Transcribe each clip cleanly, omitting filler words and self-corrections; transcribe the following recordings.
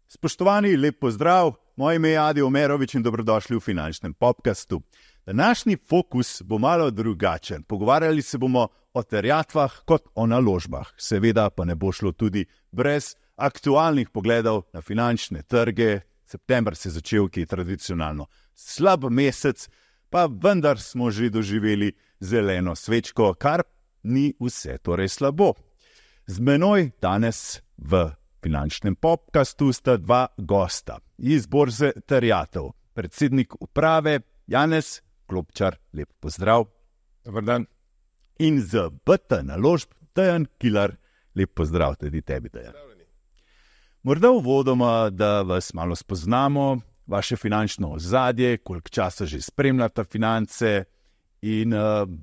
Spoštovani, lep pozdrav, moje ime je Adi Omerovič in dobrodošli v finančnem podcastu. Današnji fokus bo malo drugačen. Pogovarjali se bomo o terjatvah kot o naložbah. Seveda pa ne bo šlo tudi brez aktualnih pogledov na finančne trge. September se je začel, ki je tradicionalno slab mesec, pa vendar smo že doživeli zeleno svečko, kar ni vse torej slabo. Z menoj danes v finančnem podcastu sta dva gosta iz borze terjatev. Predsednik uprave Janez Klopčar, lep pozdrav. Dobar dan. In z BT Naložb Dejan Kilar, lep pozdrav tudi tebi, Dejan. Morda uvodoma, da vas malo spoznamo, vaše finančno ozadje, koliko časa že spremljate finance in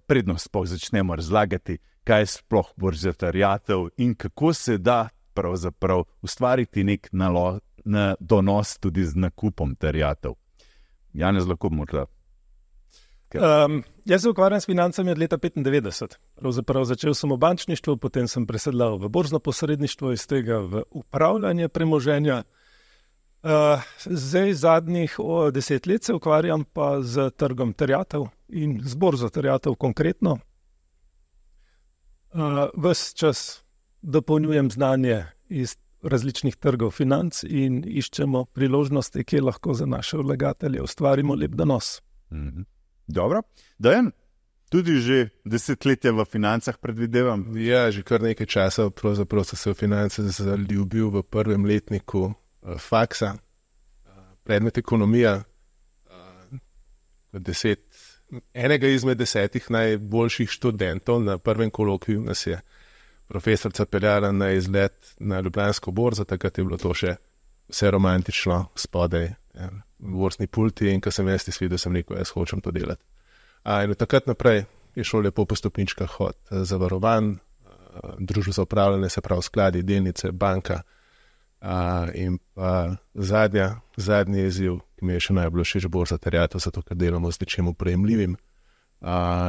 predno sploh začnemo razlagati, kaj je sploh borza terjatev in kako se da pravzaprav ustvariti nek donos tudi z nakupom terjatev. Janez, lahko morda. Jaz se ukvarjam s financami od leta 1995. Pravzaprav začel sem v bančništvu, potem sem presedlal v borzno posredništvo, iz tega v upravljanje premoženja. Zdaj zadnjih 10 let se ukvarjam pa z trgom terjatev in z borzo terjatev konkretno. Ves čas dopolnjujem znanje iz različnih trgov financ in iščemo priložnosti, kje lahko za naše vlagatelje ustvarimo lep donos. Dobro. Dejan, tudi že desetletja v financah predvidevam. Ja, že kar nekaj časa pravzaprav sem se v finance zaljubil v prvem letniku faksa, predmet ekonomija, enega izmed 10 najboljših študentov na prvem kolokviju nas je profesorica peljala na izlet na Ljubljansko borzo, takrat je bilo to še vse romantično, spodaj, borzni pulti, in ko sem jaz izvedel, sem rekel, jaz hočem to delati. In od takrat naprej je šlo lepo po stopničkah od zavarovanj, družb za upravljanje, se pravi skladi, delnice, banka, in pa zadnji izziv, ki mi je še najbolj všeč, borza terjatev, zato ker delamo z nečim prejemljivim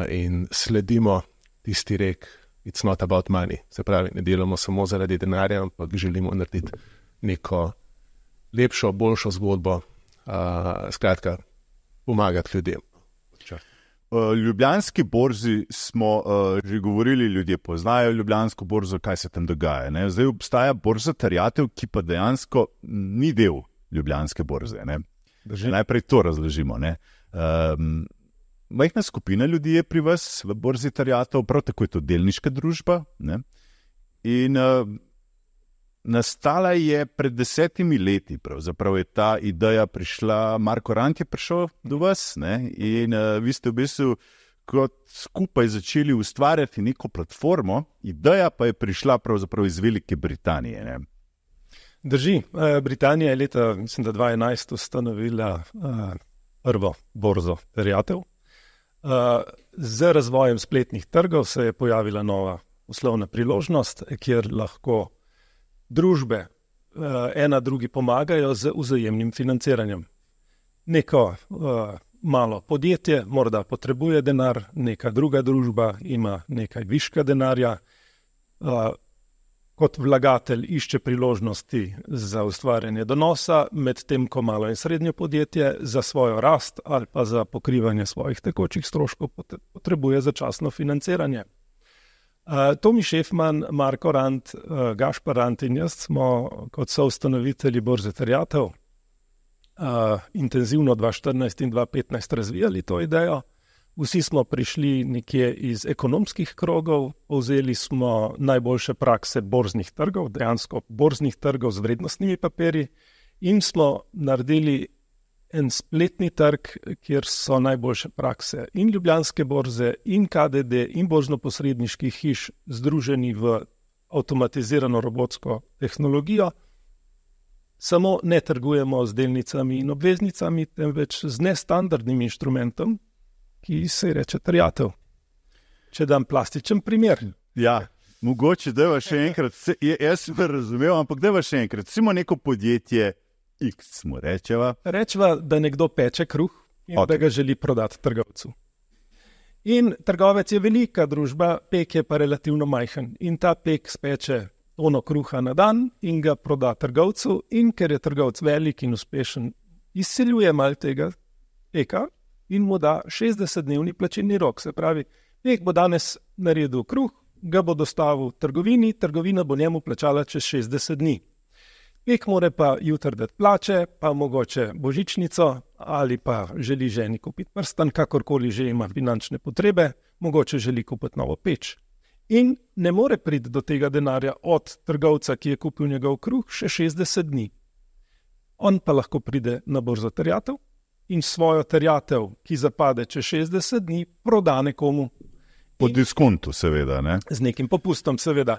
in sledimo tisti rek, it's not about money, se pravi, ne delamo samo zaradi denarja, ampak želimo narediti neko lepšo, boljšo zgodbo, skratka, pomagati ljudem. Ljubljanski borzi smo že govorili, ljudje poznajo Ljubljansko borzo, kaj se tam dogaja. Ne? Zdaj obstaja borza terjatev, ki pa dejansko ni del Ljubljanske borze. Ne? Najprej to razložimo. Majhna skupina ljudi je pri vas v borzi terjatev, prav tako je to delniška družba. Ne? In nastala je pred 10 leti, pravzaprav je ta ideja prišla, Marko Rant je prišel do vas, ne? In vi ste v bistvu kot skupaj začeli ustvarjati neko platformo, ideja pa je prišla pravzaprav iz Velike Britanije. Ne? Drži, Britanija je leta, mislim, da 2011 ustanovila prvo borzo terjatev. Z razvojem spletnih trgov se je pojavila nova poslovna priložnost, kjer lahko družbe ena drugi pomagajo z vzajemnim financiranjem. Neko malo podjetje morda potrebuje denar, neka druga družba ima nekaj viška denarja, kot vlagatelj išče priložnosti za ustvarjanje donosa, medtem ko malo in srednje podjetje za svojo rast ali pa za pokrivanje svojih tekočih stroškov potrebuje začasno financiranje. Tomi Šefman, Marko Rant, Gašpar Rant in jaz smo kot soustanovitelji borze terjatev intenzivno 2014 in 2015 razvijali to idejo. Vsi smo prišli nekje iz ekonomskih krogov, povzeli smo najboljše prakse borznih trgov, dejansko borznih trgov z vrednostnimi papirji, in smo naredili en spletni trg, kjer so najboljše prakse in Ljubljanske borze, in KDD, in borzno-posredniških hiš združeni v avtomatizirano robotsko tehnologijo. Samo ne trgujemo z delnicami in obveznicami, temveč z nestandardnim inštrumentom, ki se reče terjatev. Če dam plastičen primer. Ja, mogoče dajva še enkrat, jaz sem razumel, ampak dajva še enkrat, recimo neko podjetje X mu rečeva. Rečeva, da nekdo peče kruh in da ga želi prodati trgovcu. In trgovec je velika družba, pek je pa relativno majhen. In ta pek speče tono kruha na dan in ga proda trgovcu. In ker je trgovec velik in uspešen, izsiljuje malo tega peka in mu da 60-dnevni plačilni rok. Se pravi, pek bo danes naredil kruh, ga bo dostavil trgovini, trgovina bo njemu plačala čez 60 dni. Pek more pa jutri dati plače, pa mogoče božičnico ali pa želi ženi kupiti prstan, kakorkoli že ima finančne potrebe, mogoče želi kupiti novo peč. In ne more priti do tega denarja od trgovca, ki je kupil njegov kruh, še 60 dni. On pa lahko pride na borzo terjatev in svojo terjatev, ki zapade čez 60 dni, proda nekomu. Po diskontu, seveda, ne? Z nekim popustom, seveda.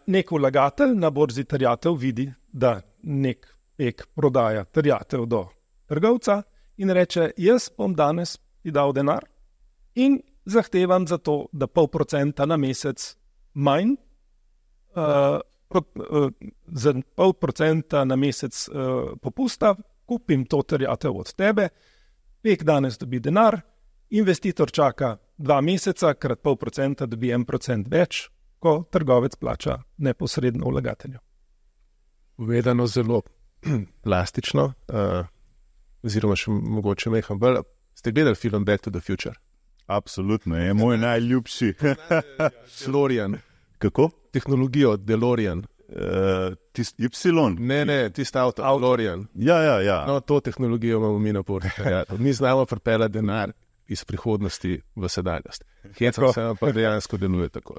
Nek vlagatelj na borzi terjatev vidi, da nek pek prodaja terjatev do trgovca in reče, jaz bom danes ti dal denar in zahtevam za to, da 0,5% na mesec manj, za 0,5% na mesec popusta, kupim to terjatev od tebe, pek danes dobi denar, investitor čaka 2 meseca, krat 0,5% dobi 1% več, ko trgovec plača neposredno vlagatelju. Povedano zelo plastično, oziroma še mogoče meham bolj. Ste gledali film Back to the Future? Absolutno, je moj najljubši. DeLorean. Kako? Tehnologijo DeLorean. Tisti Y? Ne, tisti avto, DeLorean. Ja. No, to tehnologijo imamo mi na borzi. Mi znamo pripeljati denar iz prihodnosti v sedanjost. Hitro se pa dejansko deluje tako.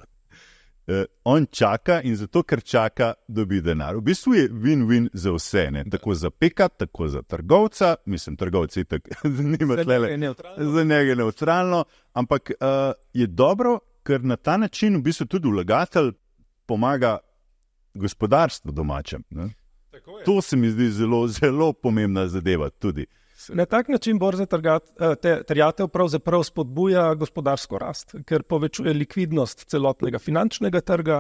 On čaka in zato, ker čaka, dobi denar. V bistvu je win-win za vse, ne? Tako za peka, tako za trgovca, mislim, trgovci tako nima tlele, za njega neutralno, ampak je dobro, ker na ta način v bistvu tudi vlagatelj pomaga gospodarstvu domačem. Ne? To se mi zdi zelo, zelo pomembna zadeva tudi. Na tak način borza terjatev pravzaprav spodbuja gospodarsko rast, ker povečuje likvidnost celotnega finančnega trga,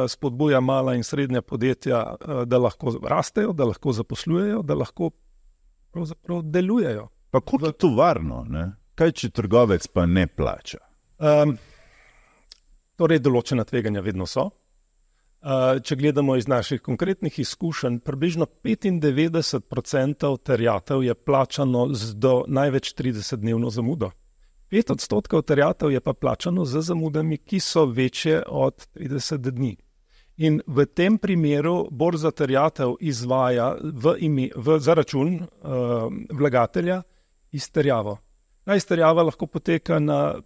spodbuja mala in srednja podjetja, da lahko rastejo, da lahko zaposlujejo, da lahko pravzaprav delujejo. Pa kot je to varno, ne? Kaj če trgovec pa ne plača? Torej, določena tveganja vedno so. Če gledamo iz naših konkretnih izkušenj, približno 95% terjatev je plačano do največ 30-dnevno zamudo. 5% terjatev je pa plačano z zamudami, ki so večje od 30 dni. In v tem primeru borza terjatev izvaja za račun vlagatelja izterjavo. Ta izterjava lahko poteka na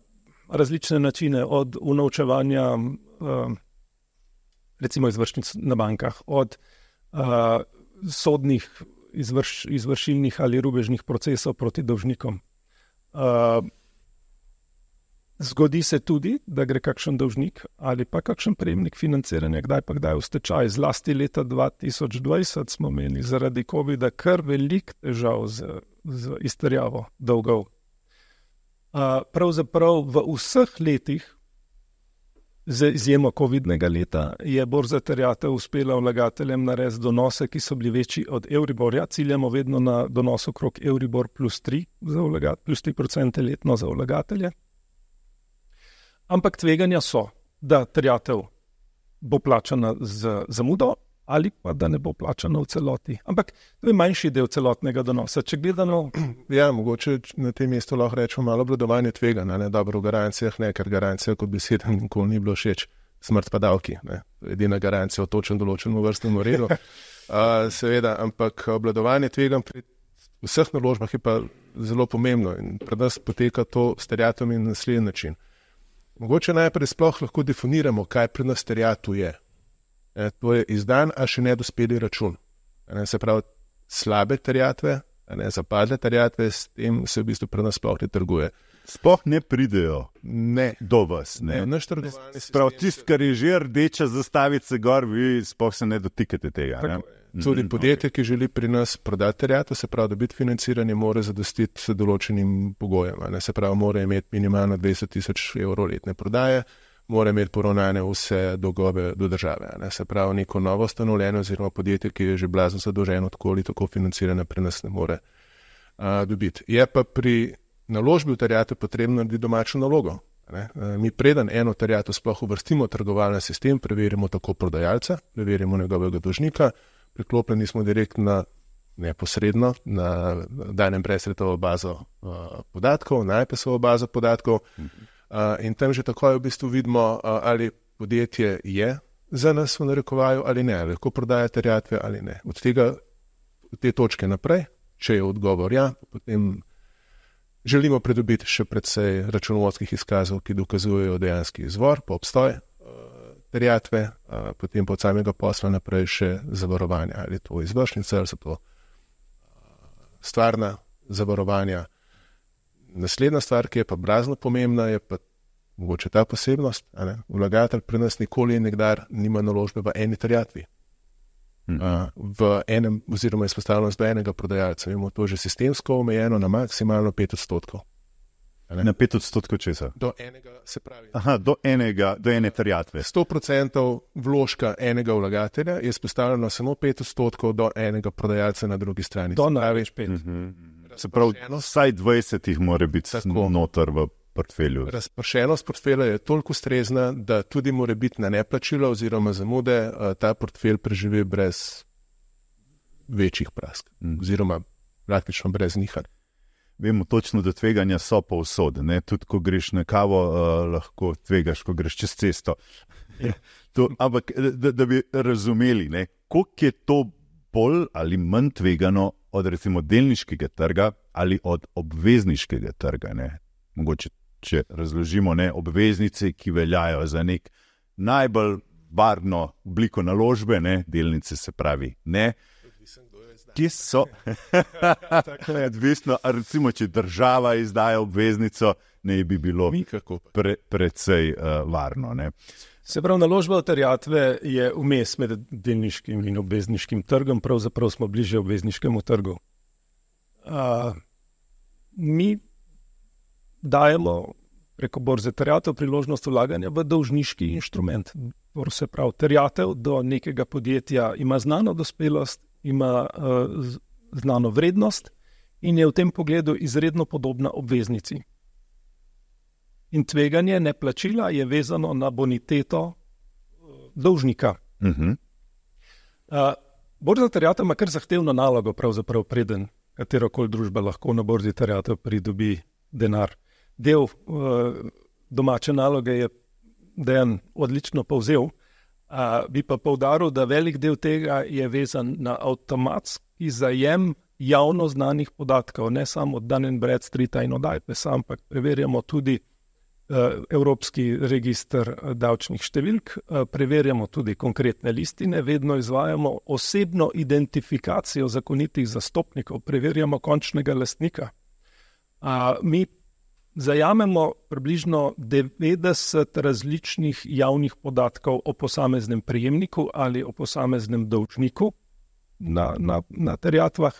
različne načine, od unovčevanja recimo izvršnic na bankah, od sodnih izvršilnih ali rubežnih procesov proti dolžnikom. Zgodi se tudi, da gre kakšen dolžnik ali pa kakšen prejemnik financiranja, kdaj v stečaj. Zlasti leta 2020 smo imeli zaradi covida kar velik težav z izterjavo dolgov. Pravzaprav v vseh letih, z izjemo covidnega leta, je borza terjatev uspela vlagateljem narediti donose, ki so bili večji od Euriborja. Ciljamo vedno na donos okrog Euribor plus 3% letno za vlagatelje. Ampak tveganja so, da terjatev bo plačana z zamudo ali pa da ne bo plačana v celoti. Ampak to je manjši del celotnega donosa. Če gledano... Ja, mogoče na tem mestu lahko rečemo malo obvladovanje tveganja, ne dobro v garancijah, ne, ker garancija kot beseda nikoli ni bilo všeč, smrt pa davki, ne. Edina garancija o točno določenem vrstnem redu. Seveda, ampak obvladovanje tveganj pri vseh naložbah je pa zelo pomembno in pred nas poteka to s terjatvami na naslednji način. Mogoče najprej sploh lahko definiramo, kaj pri nas terjatev je. To je izdan, a še nedospeli račun. Se pravi, slabe terjatve, zapadle terjatve, s tem se v bistvu pri nas sploh ne trguje. Sploh ne pridejo do vas. Naš trgovalni sistem. Prav tisto, kar je že rdeča zastavica gor, vi sploh se ne dotikate tega. Ne? Tudi podjetje, ki želi pri nas prodati terjatve, se pravi, da biti financiranje, mora zadostiti s določenim pogojem. Se pravi, mora imeti minimalno 20,000 evrov letne prodaje, mora imeti poravnane vse dolgove do države. Se pravi, neko novo ustanovljeno oziroma podjetje, ki je že blazno zadolženo, tako ali tako financirane pri nas ne more dobiti. Je pa pri naložbi v terjatev potrebno narediti domačo nalogo. Mi preden eno terjatev sploh uvrstimo v trgovalni sistem, preverimo tako prodajalca, preverimo njegovega dolžnika, priklopljeni smo direktno neposredno na danem brezsretovo bazo podatkov, na IPS-ovo bazo podatkov in tam že takoj v bistvu vidimo, ali podjetje je za nas v narekovaju ali ne, ali lahko prodaja terjatve ali ne. Od te točke naprej, če je odgovor ja, potem želimo pridobiti še precej računovodskih izkazov, ki dokazujejo dejanski izvor, po obstoj terjatve, potem po samega posla naprej še zavarovanja, ali je to izvršnica, ali so to stvarna zavarovanja. Naslednja stvar, ki je pa brazno pomembna, je pa mogoče ta posebnost. Vlagatelj pri nas nikoli in nikdar nima naložbe v eni terjatvi. V enem, oziroma izpostavljenost do enega prodajalca. Imamo to že sistemsko omejeno na maksimalno 5%. Na 5% česa? Do enega, se pravi. Aha, do ene terjatve. 100% vložka enega vlagatelja je izpostavljeno samo 5% do enega prodajalca na drugi strani. Do največ 5. Se pravi, vsaj 20 jih mora biti noter v portfelju. Razpršenost portfelja je toliko ustrezna, da tudi mora biti na neplačilo oziroma zamude ta portfelj preživi brez večjih prask. Oziroma praktično brez nihanj. Vemo točno, da tveganja so povsod. Tudi ko greš na kavo, lahko tvegaš, ko greš čez cesto. Ampak da bi razumeli, koliko je to bolj ali manj tvegano od recimo delniškega trga ali od obvezniškega trga. Mogoče, če razložimo, obveznice, ki veljajo za nek najbolj varno obliko naložbe, delnice se pravi ne. Kje so? Tako je odvisno, recimo, če država izdaja obveznico, ne bi bilo precej varno. Se pravi, naložba v terjatve je vmes med delniškim in obvezniškim trgom, pravzaprav smo bliže obvezniškemu trgu. Mi dajemo preko borze terjatev priložnost vlaganja v dolžniški inštrument. Se pravi, terjatev do nekega podjetja ima znano dospelost, ima znano vrednost in je v tem pogledu izredno podobna obveznici. In tveganje neplačila je vezano na boniteto dolžnika. Borza terjatev ima kar zahtevno nalogo, pravzaprav preden katerokoli družba lahko na borzi terjatev pridobi denar. Del domače naloge je Dejan odlično povzel, bi pa poudaril, da velik del tega je vezan na avtomatski zajem javno znanih podatkov, ne samo od Dun & Bradstreeta in od IPS-a, ampak preverjamo tudi Evropski register davčnih številk, preverjamo tudi konkretne listine, vedno izvajamo osebno identifikacijo zakonitih zastopnikov, preverjamo končnega lastnika. Mi zajamemo približno 90 različnih javnih podatkov o posameznem prejemniku ali o posameznem dolžniku na terjatvah,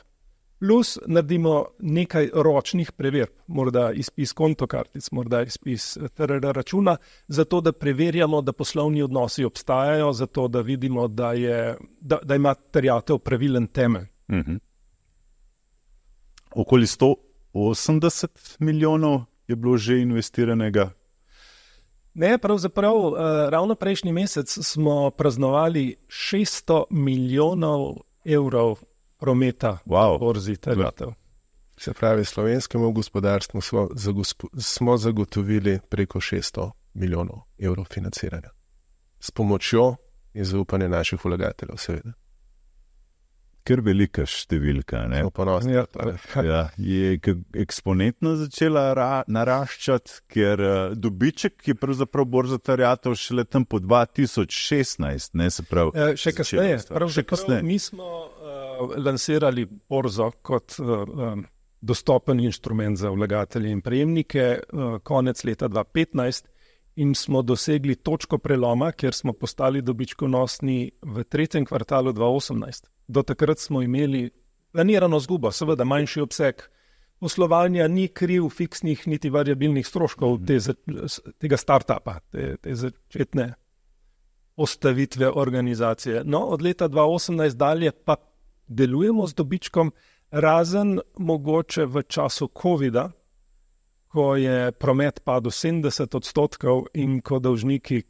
plus naredimo nekaj ročnih preverb, morda izpis kontokartic, morda izpis TRR računa, zato da preverjamo, da poslovni odnosi obstajajo, zato da vidimo, da ima terjatev pravilen temelj. Okoli 180 milijonov je bilo že investiranega? Ne, pravzaprav ravno prejšnji mesec smo praznovali 600 milijonov evrov prometa v borzi terjatev. Se pravi, slovenskemu gospodarstvu smo zagotovili preko 600 milijonov evrov financiranja. S pomočjo in zaupanjem naših vlagateljev, seveda. Ker velika številka. Je eksponentno začela naraščati, ker dobiček je pravzaprav borza terjatev šele tam po 2016. Se pravi, še kasneje. Mi smo lansirali borzo kot dostopen inštrument za vlagatelje in prejemnike konec leta 2015 in smo dosegli točko preloma, kjer smo postali dobičkonosni v tretjem kvartalu 2018. Do takrat smo imeli planirano izgubo, seveda manjši obseg poslovanja, ni kriv fiksnih niti variabilnih stroškov tega startupa, te začetne postavitve organizacije. No, od leta 2018 dalje pa delujemo z dobičkom, razen mogoče v času covida, ko je promet padel 70% in ko dolžniki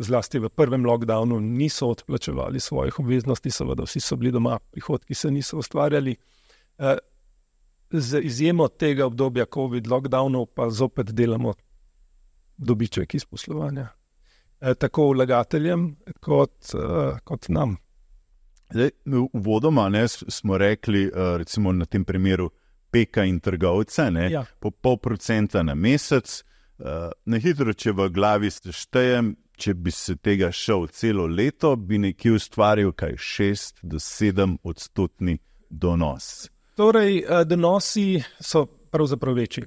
zlasti v prvem lockdownu niso odplačevali svojih obveznosti, seveda vsi so bili doma, prihodki se niso ustvarjali. Z izjemo tega obdobja COVID lockdownov pa zopet delamo dobiček iz poslovanja. Tako vlagateljem kot nam. Zdaj, uvodoma smo rekli, recimo na tem primeru peka in trgovca, Ja. po 0,5% na mesec. Na hitro, če v glavi seštejem, če bi se tega šel celo leto, bi nekje ustvaril 6 do 7% donos. Torej, donosi so pravzaprav večji.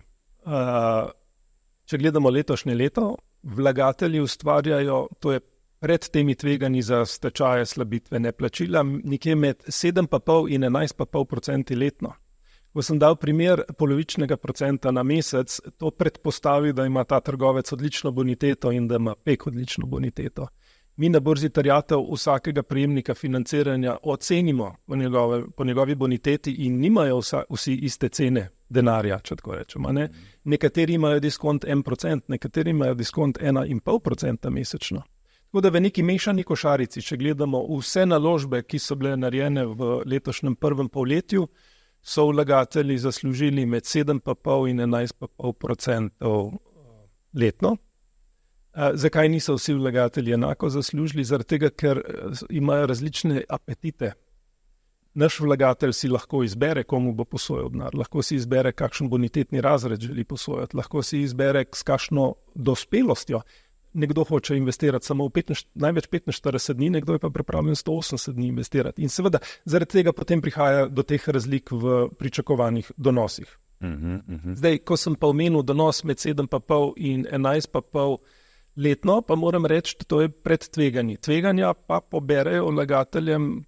Če gledamo letošnje leto, vlagatelji ustvarjajo, to je pred temi tveganji za stečaje, slabitve, neplačila, nekje med 7,5 in 11,5% letno. Ko sem dal primer polovičnega procenta na mesec, to predpostavi, da ima ta trgovec odlično boniteto in da ima PEK odlično boniteto. Mi na borzi terjatev vsakega prejemnika financiranja ocenimo po njegovi boniteti in nimajo vsi iste cene denarja, če tako rečemo. Ne? Nekateri imajo diskont 1%, nekateri imajo diskont 1,5% mesečno. Tako da v neki mešani košarici, če gledamo vse naložbe, ki so bile narejene v letošnjem prvem polletju, so vlagatelji zaslužili med 7,5 in 11,5% letno. Zakaj niso vsi vlagatelji enako zaslužili? Zaradi tega, ker imajo različne apetite. Naš vlagatelj si lahko izbere, komu bo posojal denar, lahko si izbere, kakšen bonitetni razred želi posojati, lahko si izbere, s kakšno dospelostjo. Nekdo hoče investirati samo največ 45 dni, nekdo je pa pripravljen 180 dni investirati. In seveda, zaradi tega potem prihaja do teh razlik v pričakovanih donosih. Zdaj, ko sem pa omenil donos med 7,5 in 11,5 letno, pa moram reči, da to je pred tveganji. Tveganja pa poberejo vlagateljem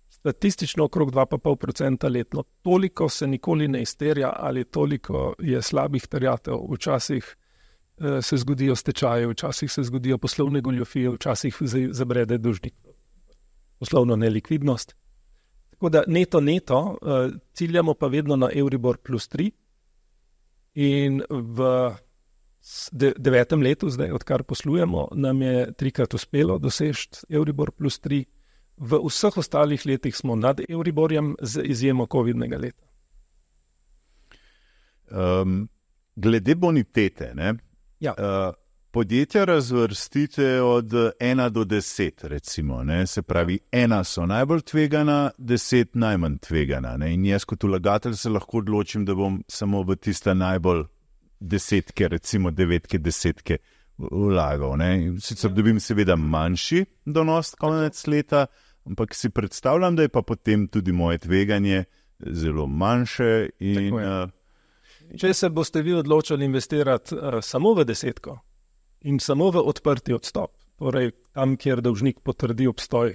statistično okrog 2,5% letno. Toliko se nikoli ne izterja ali toliko je slabih terjatev. Včasih se zgodijo stečaje, včasih se zgodijo poslovne goljufije, včasih zabrede dolžnik. Poslovno nelikvidnost. Tako da neto, ciljamo pa vedno na Euribor plus 3 in v 9. letu, zdaj odkar poslujemo, nam je 3-krat uspelo doseči Euribor plus 3. V vseh ostalih letih smo nad Euriborjem z izjemo COVID-nega leta. Glede bonitete, ne? Ja. Podjetja razvrstite od 1 do 10, recimo. Ne? Se pravi, 1 so najbolj tvegana, 10 najmanj tvegana. Ne? In jaz kot vlagatelj se lahko odločim, da bom samo v tista najbolj 10, recimo 9, 10 vlagal. Ne? Sicer dobim seveda manjši donos konec leta, ampak si predstavljam, da je pa potem tudi moje tveganje zelo manjše. Če se boste vi odločili investirati samo v 10 in samo v odprti odstop, torej tam, kjer dolžnik potrdi obstoj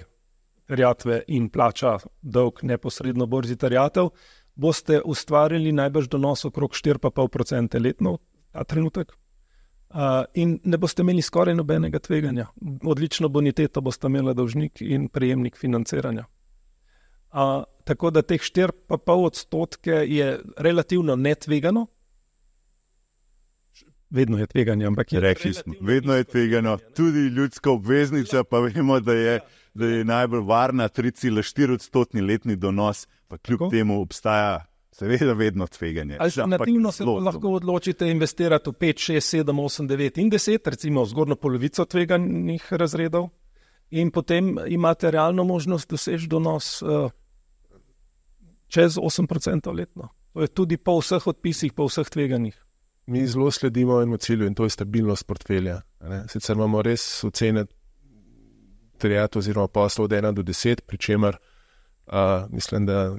terjatve in plača dolg neposredno borzi terjatev, boste ustvarili najbrž donos okrog 4,5% letno ta trenutek in ne boste imeli skoraj nobenega tveganja. Odlično boniteto boste imeli dolžnik in prejemnik financiranja. Tako da teh 4,5% je relativno netvegano. Vedno je tveganje, ampak je rekli smo, vedno je tvegano. Tudi ljudska obveznica, pa vemo, da je najbolj varna 3,4% letni donos, pa kljub temu obstaja seveda vedno tveganje. Alternativno se lahko odločite investirati v 5, 6, 7, 8, 9 in 10, recimo zgornjo polovico tveganih razredov in potem imate realno možnost doseči donos čez 8% letno. To je tudi po vseh odpisih, po vseh tveganjih. Mi zelo sledimo enemu cilju in to je stabilnost portfelja. Sicer imamo res ocene terjatev oziroma poslov od 1 do 10, pri čemer mislim, da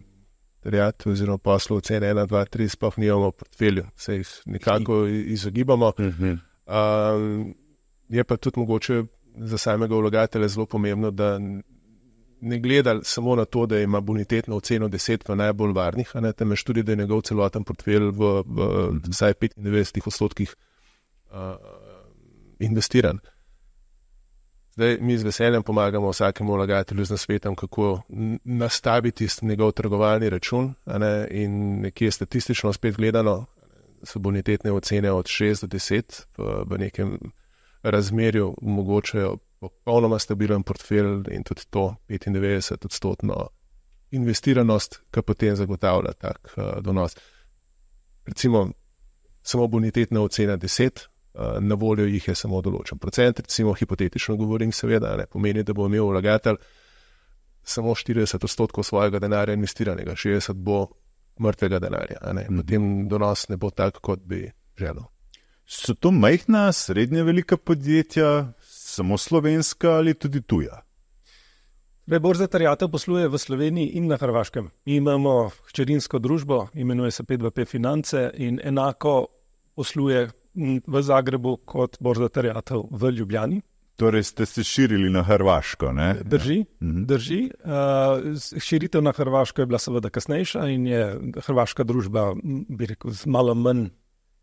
terjatev oziroma poslov ocene 1, 2, 3 sploh nimamo v portfelju, se jih nekako izogibamo. Je pa tudi mogoče za samega vlagatelja zelo pomembno, da ne gleda samo na to, da ima bonitetno oceno 10 v najbolj varnih, temveč tudi, da je njegov celoten portfelj v vsaj 95% investiran. Zdaj, mi z veseljem pomagamo vsakemu vlagatelju z nasvetom, kako nastaviti njegov trgovalni račun in nekje statistično spet gledano, so bonitetne ocene od 6 do 10 v nekem razmerju omogočajo popolnoma stabilen portfelj in tudi to 95% investiranost, ki potem zagotavlja tak donos. Recimo, samo bonitetna ocena 10, na voljo jih je samo določen procent, recimo hipotetično govorim seveda, ne pomeni, da bo imel vlagatelj samo 40% svojega denarja investiranega, 60% bo mrtvega denarja, potem donos ne bo tak, kot bi želel. So to majhna, srednje velika podjetja, samo slovenska ali tudi tuja? Borza terjatev posluje v Sloveniji in na Hrvaškem. Mi imamo hčerinsko družbo, imenuje se P2P Finance in enako posluje v Zagrebu kot borza terjatev v Ljubljani. Torej ste se širili na Hrvaško, ne? Drži. Širitev na Hrvaško je bila seveda kasnejša in je hrvaška družba, bi rekel, z malo manj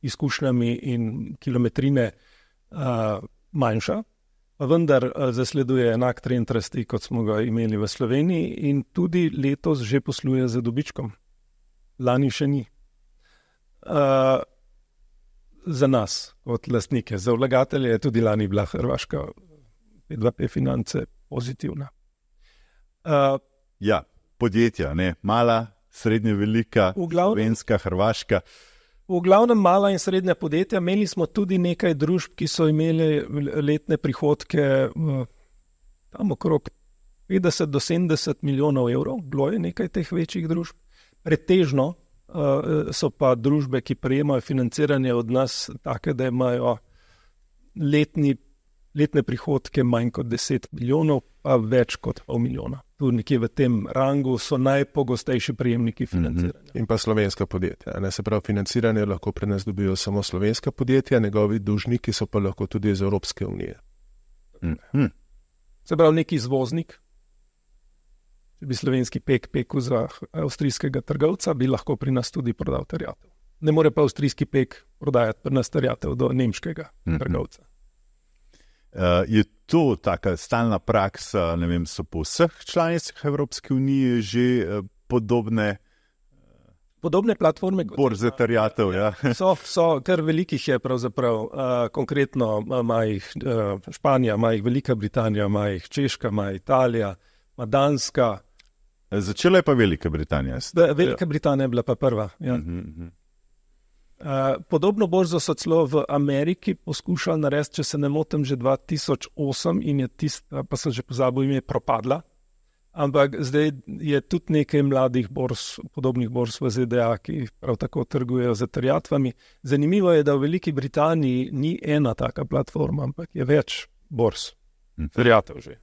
izkušnjami in kilometrine manjša, pa vendar zasleduje enak trend rasti, kot smo ga imeli v Sloveniji in tudi letos že posluje z dobičkom. Lani še ni. Za nas, kot lastnike, za vlagatelje je tudi lani bila Hrvaška P2P Finance pozitivna. Ja, podjetja, ne? Mala, srednje velika, slovenska, hrvaška. V glavnem mala in srednja podjetja. Imeli smo tudi nekaj družb, ki so imeli letne prihodke tam okrog 50 do 70 milijonov evrov. Bilo je nekaj teh večjih družb. Pretežno so pa družbe, ki prejemajo financiranje od nas, take, da imajo letne prihodke manj kot 10 milijonov, pa več kot pol milijona. Tu nekje v tem rangu so najpogostejši prejemniki financiranja. In pa slovenska podjetja. Se pravi, financiranje lahko pri nas dobijo samo slovenska podjetja, njegovi dolžniki so pa lahko tudi iz Evropske unije. Se pravi, neki izvoznik, če bi slovenski pekel za avstrijskega trgovca, bi lahko pri nas tudi prodal terjatev. Ne more pa avstrijski pek prodajati pri nas terjatev do nemškega trgovca. Je to taka stalna praksa, ne vem, so po vseh članicah Evropske unije že podobne platforme? Borze terjatev, ja. So, kar velikih je pravzaprav, konkretno ima jih Španija, ima jih Velika Britanija, ima jih Češka, ima Italija, ima Danska. Začela je pa Velika Britanija. Velika Britanija je bila pa prva, ja. Podobno borzo so celo v Ameriki poskušali narediti, če se ne motim, že 2008 in je tista, pa sem že pozabil ime, propadla. Ampak zdaj je tudi nekaj mladih borz, podobnih borz v ZDA, ki prav tako trgujejo z terjatvami. Zanimivo je, da v Veliki Britaniji ni ena taka platforma, ampak je več borz. Terjatev že.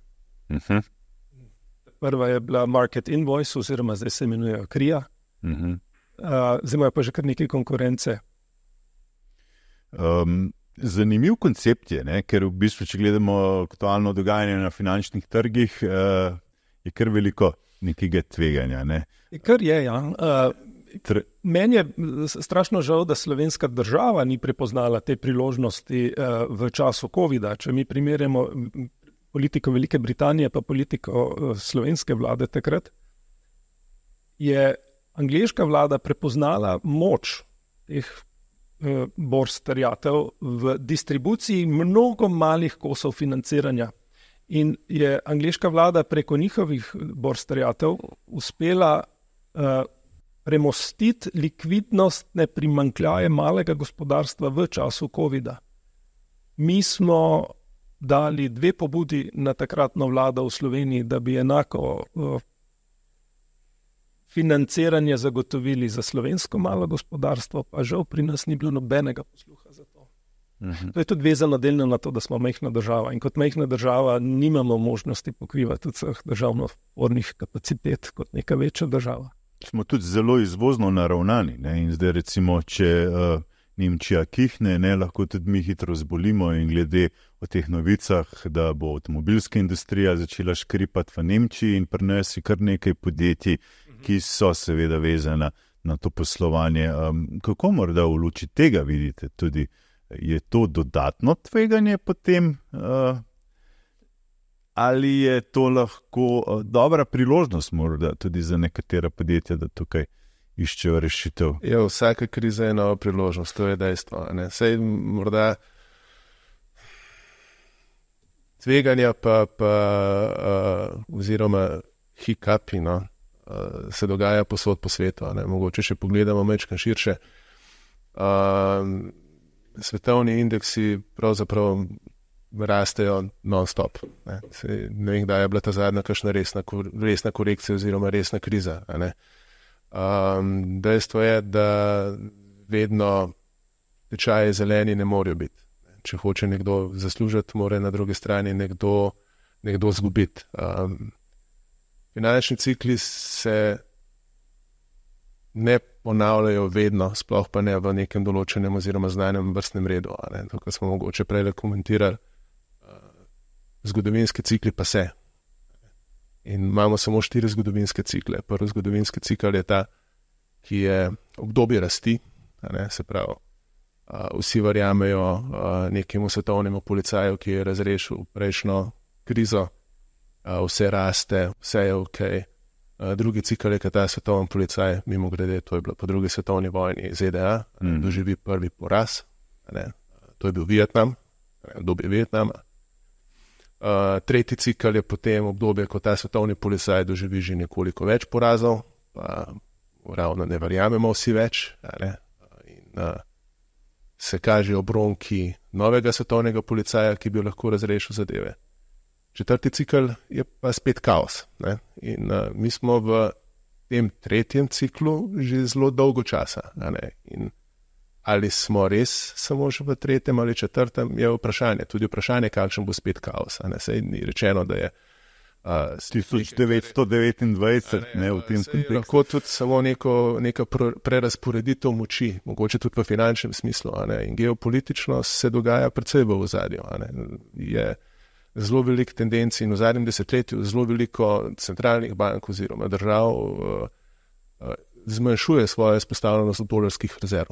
Prva je bila Market Invoice, oziroma zdaj se imenujejo KRIA. Zdaj imajo pa že kar nekaj konkurence. Zanimiv koncept je, ne? Ker v bistvu, če gledamo aktualno dogajanje na finančnih trgih, je kar veliko nekega tveganja. Ne? Kar je, ja. Meni je strašno žal, da slovenska država ni prepoznala te priložnosti v času covida. Če mi primerjamo politiko Velike Britanije pa politiko slovenske vlade takrat, je angleška vlada prepoznala moč teh borz terjatev v distribuciji mnogo malih kosov financiranja. In je angleška vlada preko njihovih borz terjatev uspela premostiti likvidnostne primanjkljaje malega gospodarstva v času covida. Mi smo dali 2 pobudi na takratno vlado v Sloveniji, da bi enako financiranje zagotovili za slovensko malo gospodarstvo, pa žal pri nas ni bilo nobenega posluha za to. To je tudi vezano delno na to, da smo majhna država in kot majhna država nimamo možnosti pokrivati vseh državno-ornih kapacitet kot neka večja država. Smo tudi zelo izvozno naravnani, ne? In zdaj recimo, če Nemčija kihne, ne, lahko tudi mi hitro zbolimo in glede o teh novicah, da bo avtomobilska industrija začela škripati v Nemčiji in pri nas je kar nekaj podjetij, ki so seveda vezana na to poslovanje. Kako morda v luči tega vidite tudi? Je to dodatno tveganje potem? Ali je to lahko dobra priložnost morda tudi za nekatera podjetja, da tukaj iščejo rešitev. Ja, vsaka kriza je nova priložnost, to je dejstvo. Sej morda tveganja oziroma hiccupi, se dogaja posod po svetu. Mogoče še pogledamo majčkeno širše. Svetovni indeksi pravzaprav rastejo non-stop. Ne vem, kdaj je bila ta zadnja kakšna resna korekcija oziroma resna kriza. Dejstvo je, da vedno tečaji zeleni ne morejo biti. Če hoče nekdo zaslužiti, mora na drugi strani nekdo zgubiti. Finančni cikli se ne ponavljajo vedno, sploh pa ne v nekem določenem oziroma znanem vrstnem redu. To, kar smo mogoče prej komentirali, zgodovinski cikli pa se. In imamo samo 4 zgodovinske cikle. Prvi zgodovinski cikl je ta, ki je obdobje rasti, se pravi, vsi verjamejo nekemu svetovnemu policaju, ki je razrešil prejšnjo krizo, vse raste, vse je ok. Drugi cikl je, kad ta svetovni policaj, mimo grede, to je bilo po drugi svetovni vojni ZDA, doživi prvi poraz, to je bil Vietnam, obdobje Vietnama. Tretji cikl je potem obdobje, ko ta svetovni policaj doživi že nekoliko več porazov, pa ravno ne verjamemo vsi več, in se kažejo obronki novega svetovnega policaja, ki bi lahko razrešil zadeve. Četrti cikl je pa spet kaos. In mi smo v tem tretjem ciklu že zelo dolgo časa. In ali smo res samo še v tretjem ali četrtem, je vprašanje. Tudi vprašanje, kakšen bo spet kaos. Sej ni rečeno, da je 1929 ne v tem kontekstu. Lahko tudi samo neka prerasporeditev moči, mogoče tudi v finančnem smislu. In geopolitično se dogaja precej v ozadju. Je zelo veliko tendenci in v zadnjem desetletju zelo veliko centralnih bank oziroma držav zmanjšuje svojo izpostavljenost dolarskih rezerv.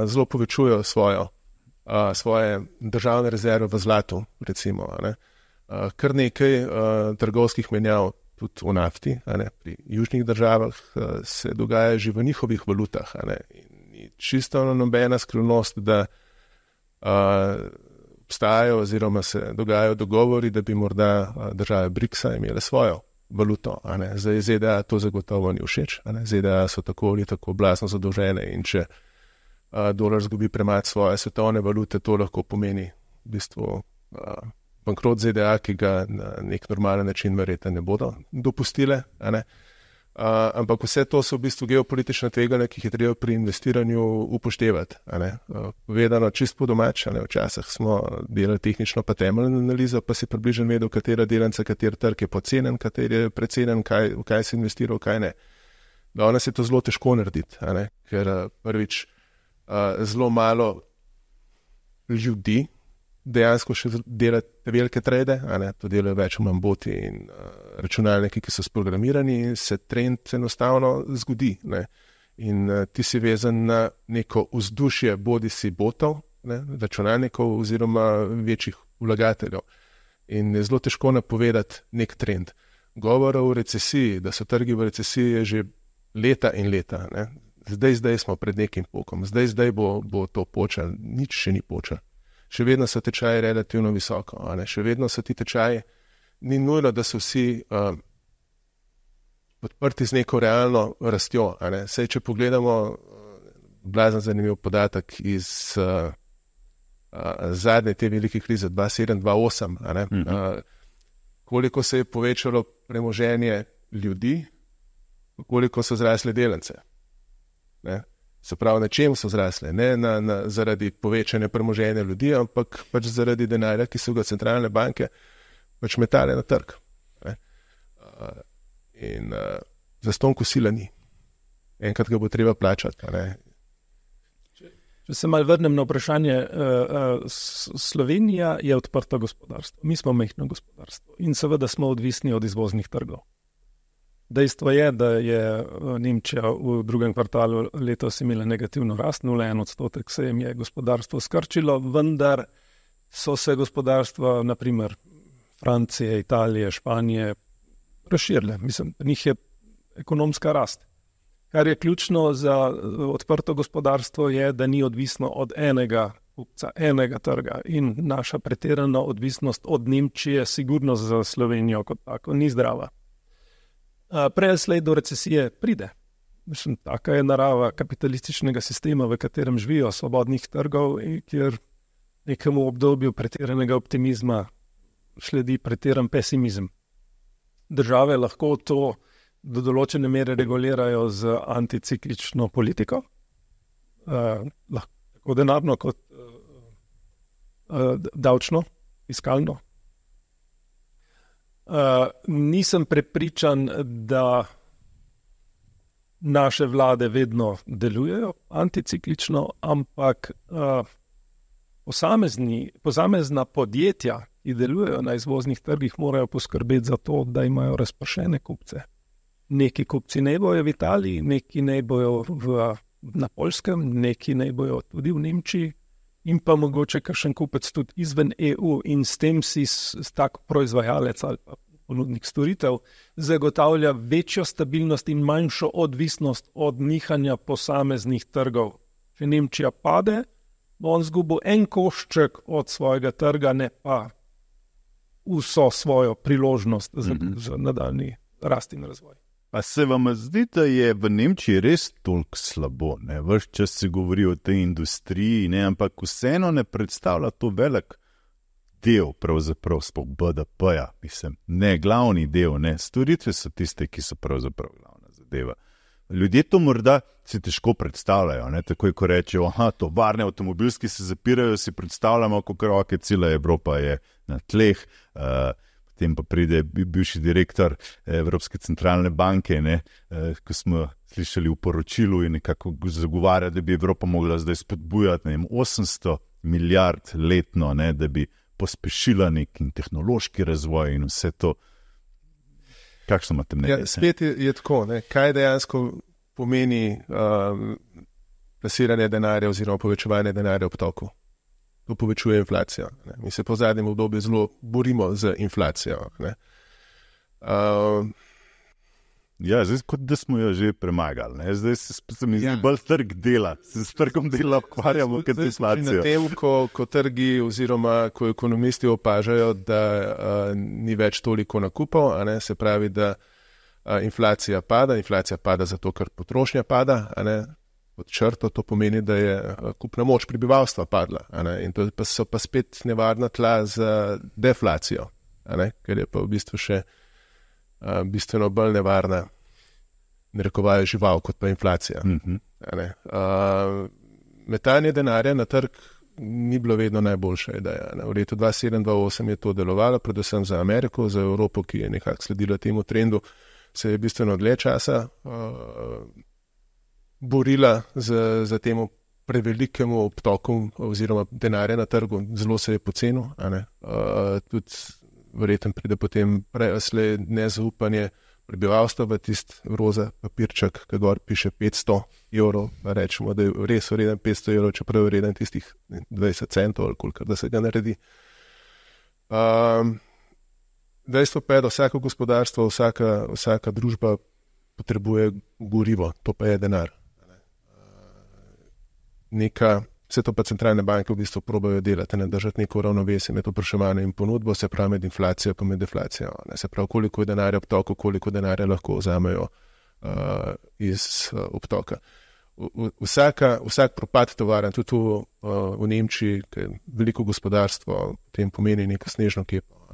Zelo povečujejo svoje državne rezerve v zlatu, recimo. Kar nekaj trgovskih menjav tudi v nafti, pri južnih državah se dogaja že v njihovih valutah. In ni čisto nobena skrivnost, da obstajajo oziroma se dogajajo dogovori, da bi morda države BRICS-a imele svojo valuto. Zdaj ZDA to zagotovo ni všeč. ZDA so tako ali tako blazno zadolžene in če dolar zgubi premač svoje svetovne valute, to lahko pomeni v bistvu bankrot ZDA, ki ga na nek normalen način verjetno ne bodo dopustile. Ampak vse to so v bistvu geopolitične tveganja, ki jih je treba pri investiranju upoštevati. Povedano čist po domač, včasih smo delali tehnično pa temeljno analizo, pa si približno vedel, katera delnica, kater trg je pocenen, kater je precenjen, v kaj se investira, v kaj ne. Danes je to zelo težko narediti, ker prvič zelo malo ljudi dejansko še dela te velike trade, to delajo več v boti in računalniki, ki so sprogramirani, in se trend enostavno zgodi. In ti si vezan na neko vzdušje bodisi botov, računalnikov oziroma večjih vlagateljev. In je zelo težko napovedati nek trend. Govora o recesiji, da so trgi v recesiji, je že leta in leta. Zdaj smo pred nekim pokom, zdaj bo to počelo, nič še ni počelo. Še vedno so tečaji relativno visoko, še vedno so ti tečaji, ni nujno, da so vsi podprti z neko realno rastjo. Sej, če pogledamo blazno zanimiv podatek iz zadnje te velike krize 2007-2008, koliko se je povečalo premoženje ljudi, koliko so zrasle delnice. Se pravi, na čem so zrasle? Ne zaradi povečanja premoženja ljudi, ampak pač zaradi denarja, ki so ga centralne banke pač metale na trg. In zastonj kosila ni. Enkrat ga bo treba plačati. Če se malo vrnem na vprašanje, Slovenija je odprto gospodarstvo. Mi smo majhno gospodarstvo in seveda smo odvisni od izvoznih trgov. Dejstvo je, da je Nemčija v drugem kvartalu letos imela negativno rast, 0,1% se jim je gospodarstvo skrčilo, vendar so se gospodarstva, naprimer Francije, Italije, Španije, razširile. Mislim, njih je ekonomska rast. Kar je ključno za odprto gospodarstvo je, da ni odvisno od enega kupca, enega trga in naša pretirana odvisnost od Nemčije sigurno za Slovenijo kot tako ni zdrava. Prej ali slej do recesije pride. Mislim, taka je narava kapitalističnega sistema, v katerem živijo svobodnih trgov in kjer nekemu obdobju pretiranega optimizma sledi pretiran pesimizem. Države lahko to do določene mere regulirajo z anticiklično politiko, tako denarno kot davčno, fiskalno. Nisem prepričan, da naše vlade vedno delujejo anticiklično, ampak posamezna podjetja, ki delujejo na izvoznih trgih, morajo poskrbeti za to, da imajo razpršene kupce. Neki kupci ne bojo v Italiji, neki ne bojo na Poljskem, neki ne bojo tudi v Nemčiji in pa mogoče kakšen kupec tudi izven EU in s tem si tak proizvajalec ali pa ponudnik storitev zagotavlja večjo stabilnost in manjšo odvisnost od nihanja posameznih trgov. Če Nemčija pade, bo on zgubil en košček od svojega trga, ne pa vso svojo priložnost za nadaljnji rast in razvoj. Pa se vam zdi, da je v Nemčiji res toliko slabo? Ves čas se govori o tej industriji, ampak vseeno ne predstavlja to velik del, pravzaprav sploh BDP-ja, mislim, ne glavni del, storitve so tiste, ki so pravzaprav glavna zadeva. Ljudje to morda si težko predstavljajo, takoj ko rečejo, tovarne avtomobilski se zapirajo, si predstavljamo, kako roke, cela Evropa je na tleh, potem pa pride bivši direktor Evropske centralne banke, ko smo slišali v poročilu in nekako zagovarja, da bi Evropa mogla zdaj spodbujati 800 milijard letno, da bi pospešila nek tehnološki razvoj in vse to. Kakšno imate mnenje? Spet je tako, kaj dejansko pomeni plasiranje denarja oziroma povečevanje denarja v obtoku. To povečuje inflacijo. Mi se po zadnjem obdobju zelo borimo z inflacijo. Zdaj kot da smo jo že premagali. Zdaj se mi zdi bolj trg dela. Se s trgom dela ukvarjamo kot inflacijo. Na tem, ko trgi oziroma ko ekonomisti opažajo, da ni več toliko nakupov, se pravi, da inflacija pada zato, ker potrošnja pada, pod črto to pomeni, da je kupna moč prebivalstva padla. In to so pa spet nevarna tla za deflacijo, ker je pa v bistvu še bistveno bolj nevarna, narekovajo žival, kot pa inflacija. Metanje denarja na trg ni bilo vedno najboljša ideja. V letu 2007-2008 je to delovalo, predvsem za Ameriko, za Evropo, ki je nekako sledila temu trendu, se je bistveno dlje časa borila za temu prevelikemu obtoku oziroma denarja na trgu. Zelo se je pocenil. Tudi verjetno pride potem preslej nezaupanje prebivalstva v tist roza papirček, ki gor piše 500 evrov, pa rečemo, da je res vreden 500 evrov, čeprav je vreden tistih 20 centov ali kolikor, da se ga naredi. Dejstvo pa je, da vsako gospodarstvo, vsaka družba potrebuje gorivo, to pa je denar. Vse to pa centralne banke v bistvu probajo delati, držati neko ravnovesje med povpraševanjem in ponudbo, se pravi med inflacijo pa med deflacijo. Se pravi, koliko je denarja obtoku, koliko denarja lahko vzamejo iz obtoka. Vsak propad tovarn, tudi v Nemčiji, ki je veliko gospodarstvo, potem pomeni neko snežno kepo,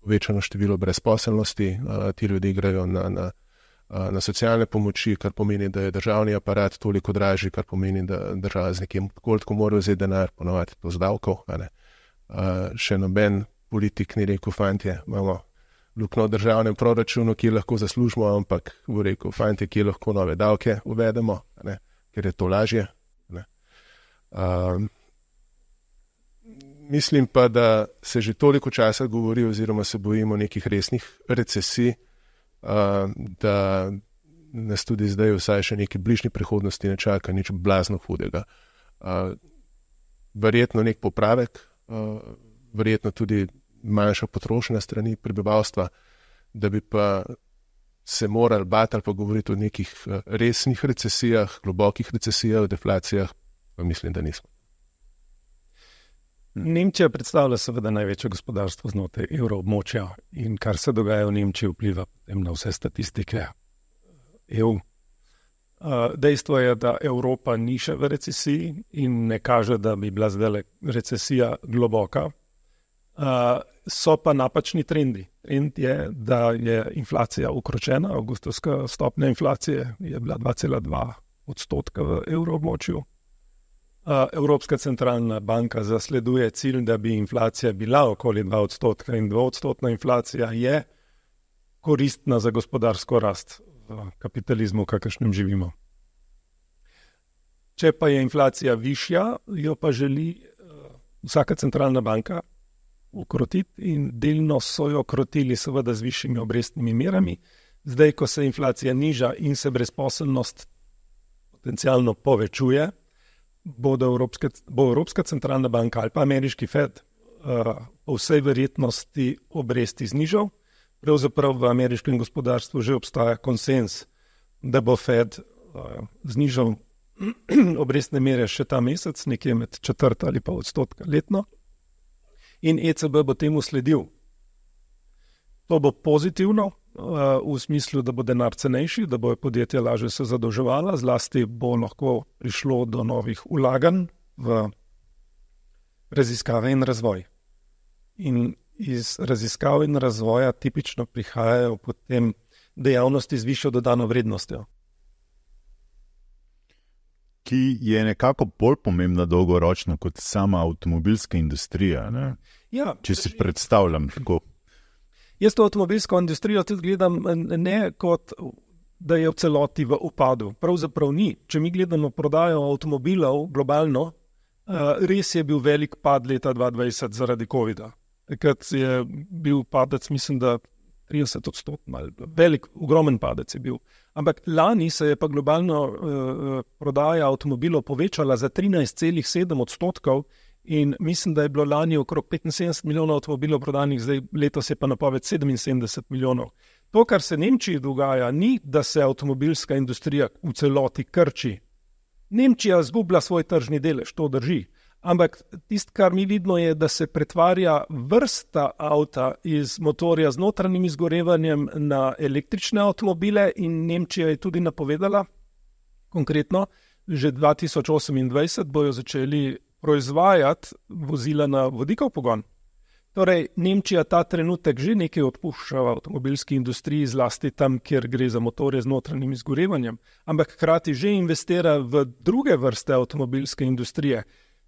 povečano število brezposelnosti, ti ljudje grejo na socialne pomoči, kar pomeni, da je državni aparat toliko dražji, kar pomeni, da država z nekim koliko mora vzeti denar, ponovati to z davkov. Še noben politik ni rekel, fantje, imamo luknjo v državnem proračunu, ki lahko zaslužimo, ampak bo rekel, fantje, ki lahko nove davke uvedemo, ker je to lažje. Mislim pa, da se že toliko časa govori oziroma se bojimo nekih resnih recesij, da nas tudi zdaj vsaj še neki bližnji prihodnosti ne čaka nič blazno hudega. Verjetno nek popravek, verjetno tudi manjša potrošnja strani prebivalstva, da bi pa se morali bati ali pa govoriti o nekih resnih recesijah, globokih recesijah, deflacijah, pa mislim, da nismo. Nemčija predstavlja seveda največje gospodarstvo znotraj evroobmočja in kar se dogaja v Nemčiji vpliva na vse statistike EU. Dejstvo je, da Evropa ni še v recesiji in ne kaže, da bi bila zdaj recesija globoka. So pa napačni trendi. Trend je, da je inflacija ukročena. Avgustovska stopnja inflacije je bila 2,2% v evroobmočju. Evropska centralna banka zasleduje cilj, da bi inflacija bila okoli 2% in 2% inflacija je koristna za gospodarsko rast v kapitalizmu, v kakršnem živimo. Če pa je inflacija višja, jo pa želi vsaka centralna banka ukrotiti in delno so jo krotili seveda z višjimi obrestnimi merami. Zdaj, ko se inflacija niža in se brezposelnost potencialno povečuje, bo Evropska centralna banka ali pa ameriški Fed po vsej verjetnosti obresti znižal. Pravzaprav v ameriškem gospodarstvu že obstaja konsens, da bo Fed znižal obrestne mere še ta mesec, nekje med 1/4 ali pa 1% letno. In ECB bo temu sledil. To bo pozitivno v smislu, da bo denar cenejši, da bo podjetja lažje se zadolževala, zlasti bo lahko prišlo do novih vlaganj v raziskave in razvoj. In iz raziskav in razvoja tipično prihajajo potem dejavnosti z višjo dodano vrednostjo. Ki je nekako bolj pomembna dolgoročno kot sama avtomobilska industrija. Ne? Ja, če si predstavljam tako. Jaz to avtomobilsko industrijo tudi gledam ne kot, da je v celoti v upadu. Pravzaprav ni. Če mi gledamo prodajo avtomobilov globalno, res je bil velik pad leta 2020 zaradi COVID-a. Takrat je bil padec, mislim, da 30%, velik, ogromen padec je bil. Ampak lani se je pa globalno prodaja avtomobilov povečala za 13,7% in mislim, da je bilo lani okrog 75 milijonov avtomobilov prodanih, zdaj letos je pa napoved 77 milijonov. To, kar se Nemčiji dogaja, ni, da se avtomobilska industrija v celoti krči. Nemčija zgublja svoj tržni delež, to drži. Ampak tisto, kar mi vidimo, je, da se pretvarja vrsta avta iz motorja z notranjim izgorevanjem na električne avtomobile in Nemčija je tudi napovedala, konkretno, že 2028 bojo začeli proizvajati vozila na vodikov pogon. Torej, Nemčija ta trenutek že nekaj odpušča v avtomobilski industriji, zlasti tam, kjer gre za motorje z notranjim izgorevanjem, ampak hkrati že investira v druge vrste avtomobilske industrije.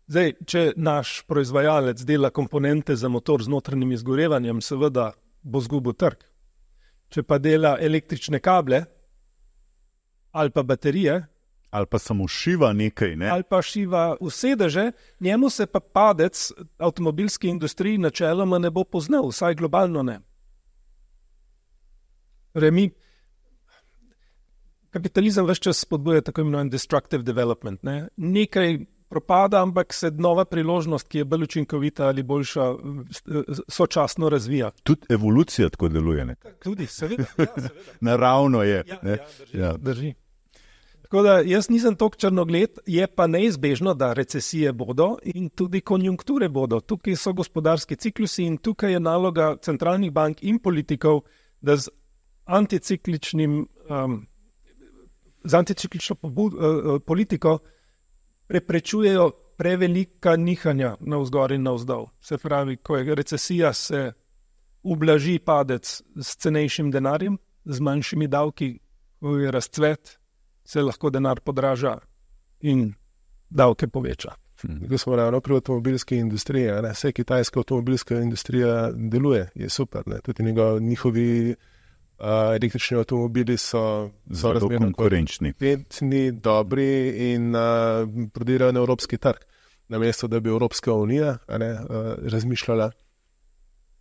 Zdaj, če naš proizvajalec dela komponente za motor z notranjim izgorevanjem, seveda bo zgubil trg. Če pa dela električne kable ali pa baterije, ali pa samo šiva nekaj, ne? Ali pa šiva sedeže, njemu se pa padec avtomobilski industriji načeloma ne bo poznal, vsaj globalno ne. Kapitalizem ves čas spodbuja tako imenovan destructive development. Ne? Nekaj propada, ampak se nova priložnost, ki je bolj učinkovita ali boljša, sočasno razvija. Tudi evolucija tako deluje. Ne? Tudi, seveda. Ja, seveda. Naravno je. Drži. Tako da jaz nisem toliko črnogled, je pa neizbežno, da recesije bodo in tudi konjunkture bodo. Tukaj so gospodarski ciklusi in tukaj je naloga centralnih bank in politikov, da z anticiklično politiko preprečujejo prevelika nihanja navzgor in navzdol. Se pravi, ko je recesija, se ublaži padec s cenejšim denarjem, z manjšimi davki, ko je razcvet, se lahko denar podraža in davke poveča. Ko smo ravno pri avtomobilski industriji, vse kitajska avtomobilska industrija deluje, je super. Ne? Tudi njihovi električni avtomobili so razmerno konkurenčni, dobri in prodirajo na evropski trg. Namesto, da bi Evropska unija razmišljala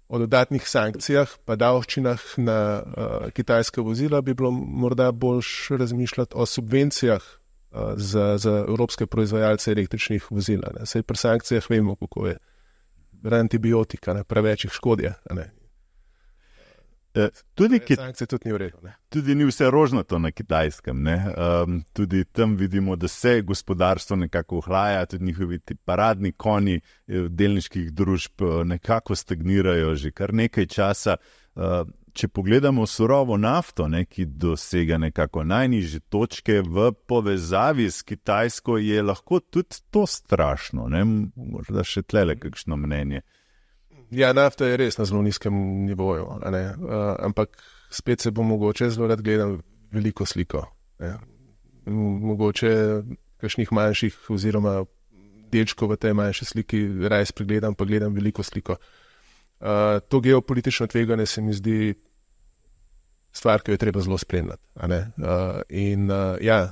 o dodatnih sankcijah pa davščinah na kitajska vozila, bi bilo morda boljš razmišljati o subvencijah za evropske proizvajalce električnih vozil. Saj pri sankcijah vemo, kako je. Antibiotika, preveč jih škodijo. Sankcije tudi ni v redu. Tudi ni vse rožnato na Kitajskem. Tudi tam vidimo, da se gospodarstvo nekako ohlaja, tudi njihovi paradni konji delniških družb nekako stagnirajo že kar nekaj časa. Če pogledamo surovo nafto, ki dosega nekako najnižje točke v povezavi s Kitajsko, je lahko tudi to strašno. Morda še tlele kakšno mnenje. Ja, nafta je res na zelo nizkem nivoju, ampak spet se bo mogoče zelo rad gledam veliko sliko. Mogoče kakšnih manjših oziroma delčkov v tej manjši sliki raje spregledam, pa gledam veliko sliko. To geopolitično tveganje se mi zdi stvar, ki jo je treba zelo spremljati.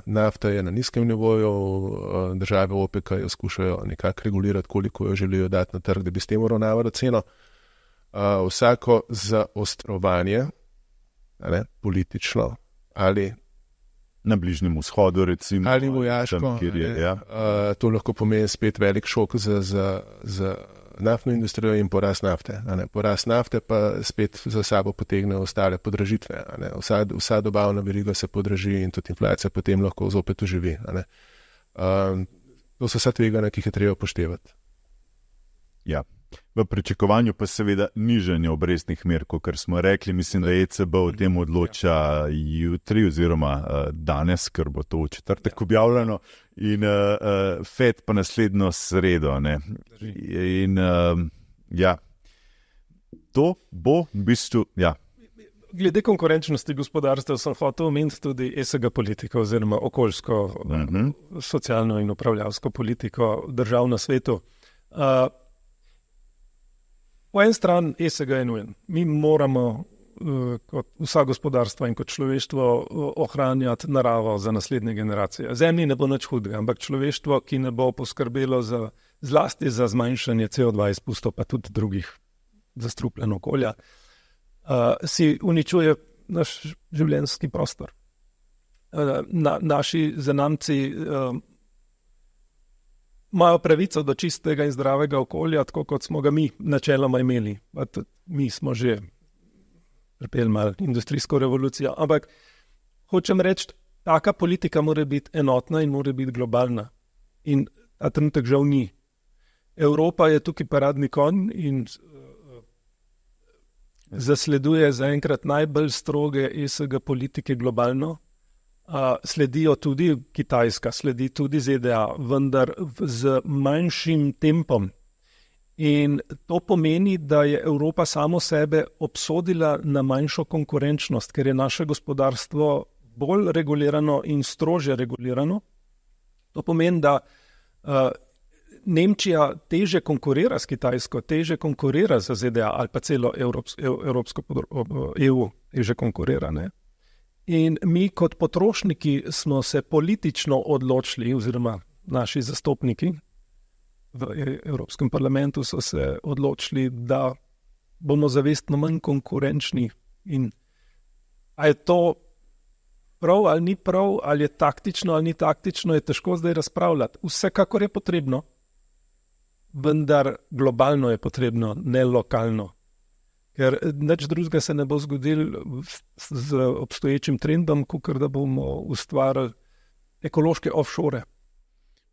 Nafta je na nizkem nivoju, države OPEC jo skušajo nekako regulirati, koliko jo želijo dati na trg, da bi s tem uravnavali ceno. Vsako zaostrovanje, politično ali na Bližnjem vzhodu, recimo, ali vojaško, tam, kjer je, to lahko pomeni spet velik šok za naftno industrijo in porast nafte. Porast nafte pa spet za sabo potegne ostale podražitve. Vsa dobavna veriga se podraži in tudi inflacija potem lahko zopet oživi. To so vsa tveganja, ki jih je treba upoštevati. Ja. V pričakovanju pa seveda nižanje obrestnih mer, kot smo rekli. Mislim, da ECB o tem odloča jutri oziroma danes, ker bo to v četrtek objavljeno, in FED pa naslednjo sredo. In to bo v bistvu, Glede konkurenčnosti gospodarstva sem hotel omeniti tudi ESG politiko oziroma okoljsko, socialno in upravljalsko politiko držav na svetu. Po en stran ESG je nujen. Mi moramo kot vsa gospodarstva in kot človeštvo ohranjati naravo za naslednje generacije. Zemlji ne bo nič hudega, ampak človeštvo, ki ne bo poskrbelo zlasti za zmanjšanje CO2 izpustov, pa tudi drugih zastrupljen okolja, si uničuje naš življenjski prostor. Naši zanamci imajo pravico do čistega in zdravega okolja, tako kot smo ga mi načeloma imeli. Mi smo že trpeli malo industrijsko revolucijo, ampak hočem reči, taka politika mora biti enotna in mora biti globalna. In ta trenutek žal ni. Evropa je tukaj paradni konj in zasleduje zaenkrat najbolj stroge ESG politike globalno. Sledijo tudi Kitajska, sledi tudi ZDA, vendar z manjšim tempom. In to pomeni, da je Evropa samo sebe obsodila na manjšo konkurenčnost, ker je naše gospodarstvo bolj regulirano in strožje regulirano. To pomeni, da Nemčija teže konkurira s Kitajsko, teže konkurira z ZDA ali pa celo Evropsko EU teže konkurira, ne? In mi kot potrošniki smo se politično odločili, oziroma naši zastopniki v Evropskem parlamentu so se odločili, da bomo zavestno manj konkurenčni. In a je to prav ali ni prav, ali je taktično ali ni taktično, je težko zdaj razpravljati. Vsekakor je potrebno, vendar globalno je potrebno, ne lokalno. Ker nič drugega se ne bo zgodil z obstoječim trendom, kakor da bomo ustvarili ekološke offshore.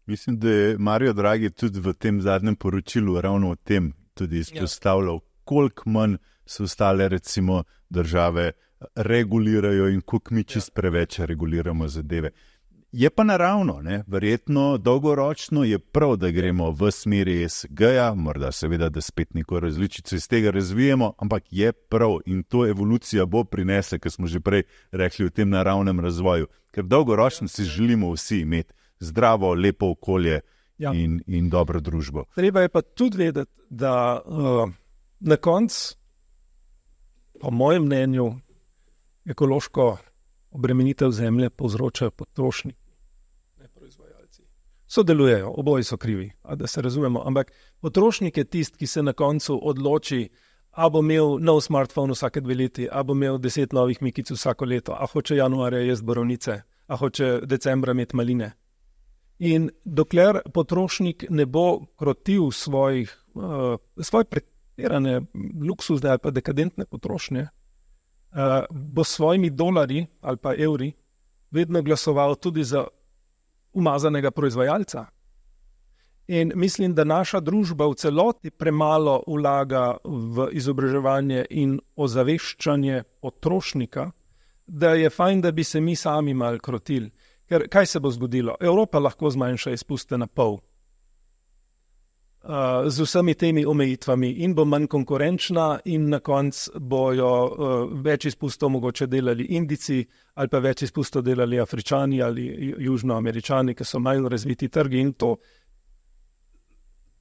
Mislim, da je Mario Draghi tudi v tem zadnjem poročilu ravno o tem tudi izpostavljal, koliko manj se ostale recimo države regulirajo in koliko mi čist preveč reguliramo zadeve. Je pa naravno, verjetno dolgoročno je prav, da gremo v smeri ESG-ja, morda seveda, da spet neko različico iz tega razvijemo, ampak je prav in to evolucija bo prinese, ker smo že prej rekli o tem naravnem razvoju, ker dolgoročno si želimo vsi imeti zdravo, lepo okolje in dobro družbo. Treba je pa tudi vedeti, da na koncu, po mojem mnenju, ekološko obremenitev zemlje povzročajo potrošniki, ne proizvajalci. Sodelujejo, oboji so krivi, da se razumemo, ampak potrošnik je tisti, ki se na koncu odloči, a bo imel nov smartphone vsake 2 leti, a bo imel 10 novih mikic vsako leto, a hoče januarja jesti borovnice, a hoče decembra imeti maline. In dokler potrošnik ne bo krotil svoje pretirane luksuzne ali pa dekadentne potrošnje, bo s svojimi dolarji ali pa evri vedno glasoval tudi za umazanega proizvajalca. In mislim, da naša družba v celoti premalo vlaga v izobraževanje in ozaveščanje potrošnika, da je fajn, da bi se mi sami malo krotili. Ker kaj se bo zgodilo? Evropa lahko zmanjša izpuste na pol z vsemi temi omejitvami in bo manj konkurenčna in na koncu bojo več izpustov mogoče delali Indijci ali pa več izpustov delali Afričani ali Južnoameričani, ki so manj razviti trgi in to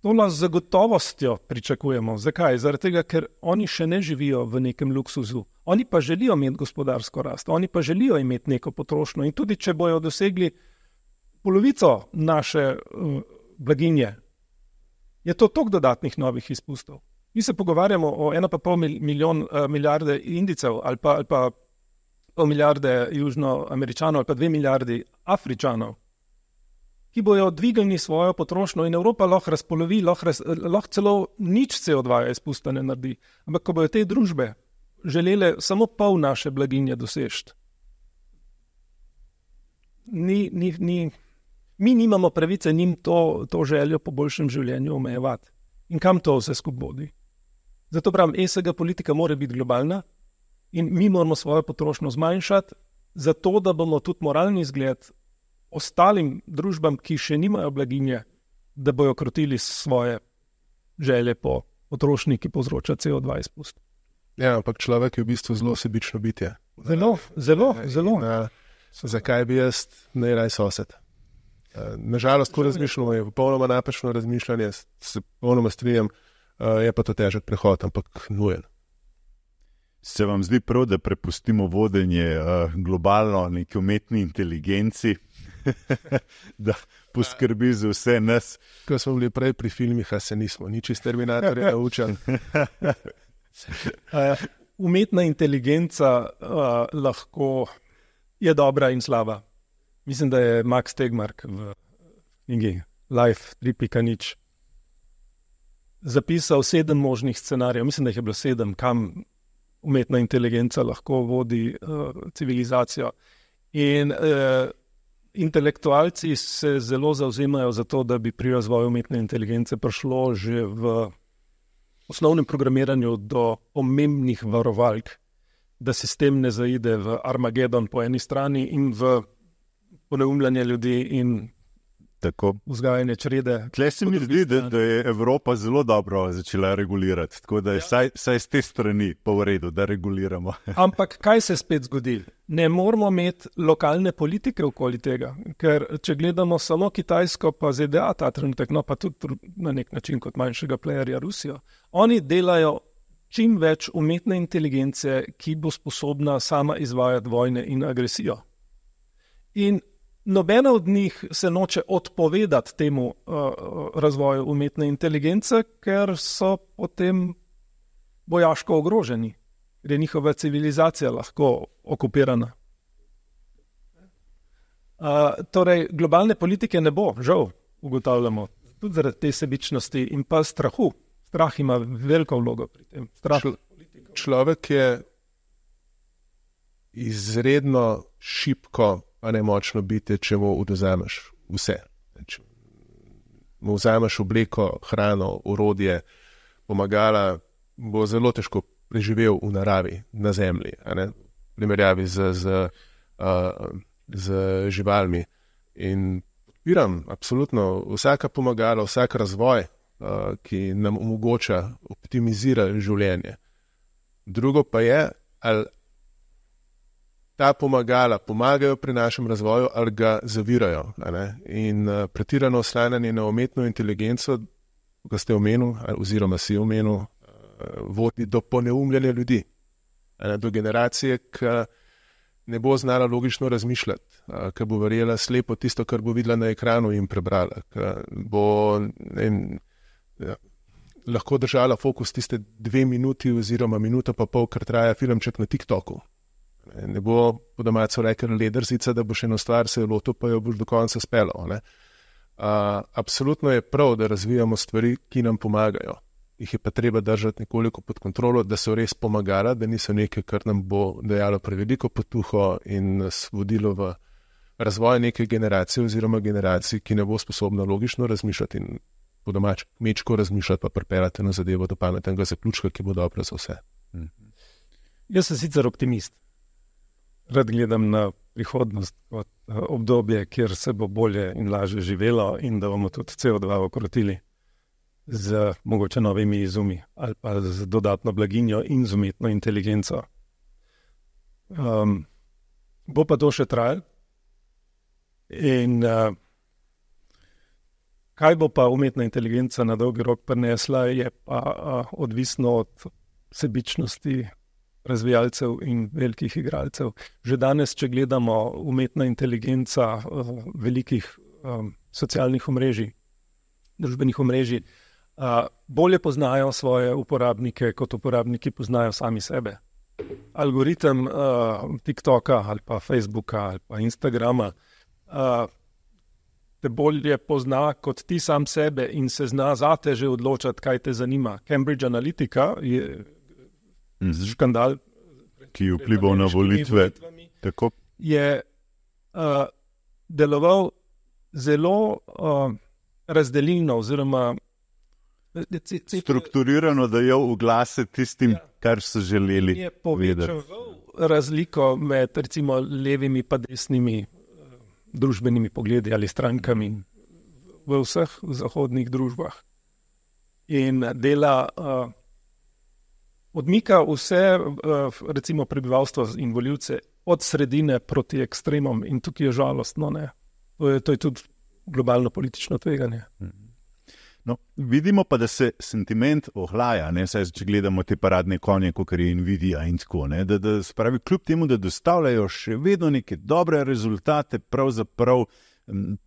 nas z gotovostjo pričakujemo. Zakaj? Zaradi tega, ker oni še ne živijo v nekem luksuzu. Oni pa želijo imeti gospodarsko rast, oni pa želijo imeti neko potrošnjo in tudi, če bojo dosegli polovico naše blaginje, je to toliko dodatnih novih izpustov. Mi se pogovarjamo o 1,5 milijarde Indijcev ali pa pol milijarde Južnoameričanov ali pa 2 milijardi Afričanov, ki bojo dvignili svojo potrošnjo in Evropa lahko razpolovi, lahko celo nič CO2 izpusta ne naredi. Ampak ko bojo te družbe želele samo pol naše blaginje doseči, mi nimamo pravice njim to željo po boljšem življenju omejevati. In kam to vse skupaj vodi? Zato pravim, ESG politika mora biti globalna in mi moramo svojo potrošnjo zmanjšati, zato da bomo tudi moralni zgled ostalim družbam, ki še nimajo blaginje, da bojo krotili svoje želje po potrošnji, ki povzroča CO2 izpust. Ja, ampak človek je v bistvu zelo sebično bitje. Zelo. Zakaj bi jaz najraj sosed? Nažalost, ko razmišljamo, je popolnoma napačno razmišljanje, se popolnoma strinjam, je pa to težek prehod, ampak nujen. Se vam zdi prav, da prepustimo vodenje globalno neki umetni inteligenci, da poskrbi za vse nas? Ko smo bili prej pri filmih, a se nismo nič iz Terminatorja naučili. Umetna inteligenca lahko je dobra in slaba. Mislim, da je Max Tegmark v knjigi Life 3.0 zapisal 7 možnih scenarijev. Mislim, da jih je bilo 7, kam umetna inteligenca lahko vodi civilizacijo. In intelektualci se zelo zavzemajo za to, da bi pri razvoju umetne inteligence prišlo že v osnovnem programiranju do pomembnih varovalk, da sistem ne zaide v Armagedon po eni strani in v poneumljanje ljudi in tako vzgajanje črede. Tle se mi zdi, da je Evropa zelo dobro začela regulirati, tako da je vsaj z te strani pa v redu, da reguliramo. Ampak kaj se spet zgodi? Ne moramo imeti lokalne politike okoli tega, ker če gledamo samo Kitajsko pa ZDA ta trenutek, no pa tudi na nek način kot manjšega playerja Rusijo, oni delajo čim več umetne inteligence, ki bo sposobna sama izvajati vojne in agresijo. In nobena od njih se noče odpovedati temu razvoju umetne inteligence, ker so potem vojaško ogroženi, ker je njihova civilizacija lahko okupirana. Torej, globalne politike ne bo, žal, ugotavljamo, tudi zaradi te sebičnosti in pa strahu. Strah ima veliko vlogo pri tem. Človek je izredno šibko, a ne močno biti, če mu odvzameš vse. Če mu vzameš obleko, hrano, orodje, pomagala, bo zelo težko preživel v naravi, na zemlji, a ne? V primerjavi z živalmi. In podpiram absolutno vsaka pomagala, vsak razvoj, ki nam omogoča optimizirati življenje. Drugo pa je, ali ta pomagala pomagajo pri našem razvoju ali ga zavirajo. In pretirano oslanjanje na umetno inteligenco, ko ste omenil, oziroma si omenil, vodi do poneumljanja ljudi. Do generacije, ki ne bo znala logično razmišljati, ki bo verjela slepo tisto, kar bo videla na ekranu in prebrala, ki bo lahko držala fokus tiste 2 minuti oziroma minuto pa pol, kar traja filmček na TikToku. Ne bo po domačo rekel ledrzica, da boš eno stvar se lotil, pa jo boš do konca speljal. Absolutno je prav, da razvijamo stvari, ki nam pomagajo. jih je pa treba držati nekoliko pod kontrolo, da so res pomagala, da niso nekaj, kar nam bo dajalo preveliko potuho in nas vodilo v razvoj neke generacije oziroma generacij, ki ne bo sposobna logično razmišljati in po domač kmečko razmišljati, pa pripeljati na zadevo do pametnega zaključka, ki bo dobro za vse. Jaz sem sicer optimist. Rad gledam na prihodnost kot obdobje, kjer se bo bolje in lažje živelo in da bomo tudi CO2 okrotili z mogoče novimi izumi ali pa z dodatno blaginjo in z umetno inteligenco. Bo pa to še trajalo. In kaj bo pa umetna inteligenca na dolgi rok prinesla, je pa odvisno od sebičnosti razvijalcev in velikih igralcev. Že danes, če gledamo umetna inteligenca velikih socialnih omrežij, družbenih omrežij, bolje poznajo svoje uporabnike, kot uporabniki poznajo sami sebe. Algoritem TikToka ali pa Facebooka ali pa Instagrama te bolje pozna kot ti sam sebe in se zna zate že odločati, kaj te zanima. Cambridge Analytica je škandal, ki je vplival na volitve. Tako. Je deloval zelo razdelilno oziroma strukturirano, da je v glase tistim, kar so želeli je povečal razliko med recimo levimi pa desnimi družbenimi pogledi ali strankami v vseh zahodnih družbah. In dela odmika vse recimo prebivalstvo in volivce od sredine proti ekstremom in tukaj je žalostno, ne. To je tudi globalno politično tveganje. No, vidimo pa, da se sentiment ohlaja, ne, saj če gledamo te paradne konje, kot je Nvidia in tako, ne, da spravi kljub temu, da dostavljajo še vedno neke dobre rezultate, pravzaprav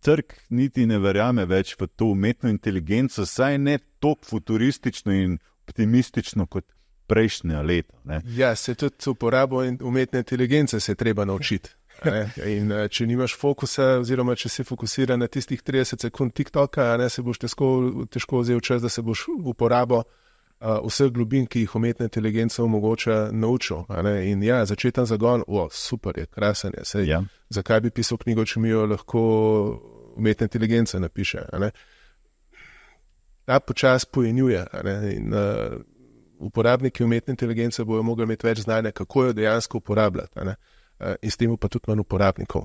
trg niti ne verjame več v to umetno inteligenco, saj ne toliko futuristično in optimistično kot prejšnja leta. Ne. Ja, se tudi uporabo umetne inteligence se je treba naučiti. In če nimaš fokusa oziroma če si fokusiran na tistih 30 sekund TikToka, se boš težko vzel čas, da se boš uporabo vseh globin, ki jih umetna inteligenca omogoča, naučil. In ja, začeten zagon, super je, krasen je. Sej, ja. Zakaj bi pisal knjigo, če mi jo lahko umetna inteligenca napiše? Ta počas pojenjuje. In uporabniki umetne inteligence bojo mogli imeti več znanja, kako jo dejansko uporabljati. In s tem pa tudi manj uporabnikov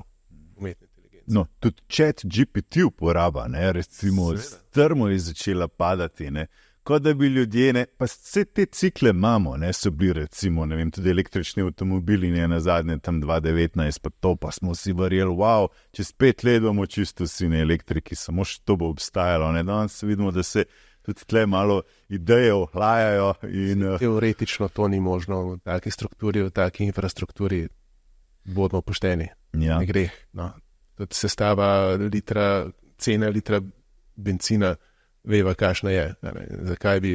umetne inteligence. No, tudi ChatGPT uporaba, ne, recimo strmo je začela padati, ne, kot da bi ljudje, ne, pa vse te cikle imamo, ne, so bili recimo, ne vem, tudi električni avtomobili, ne, na zadnje tam 2019, pa to pa smo si verjeli, wow, čez 5 let bomo čisto vsi na elektriki, samo še to bo obstajalo, ne, danes vidimo, da se tudi tle malo ideje ohlajajo. Teoretično to ni možno v taki strukturi, v taki infrastrukturi. Bodimo pošteni, ja. Ne gre. No. Tudi sestava cena litra benzina, veva, kakšna je. Zakaj bi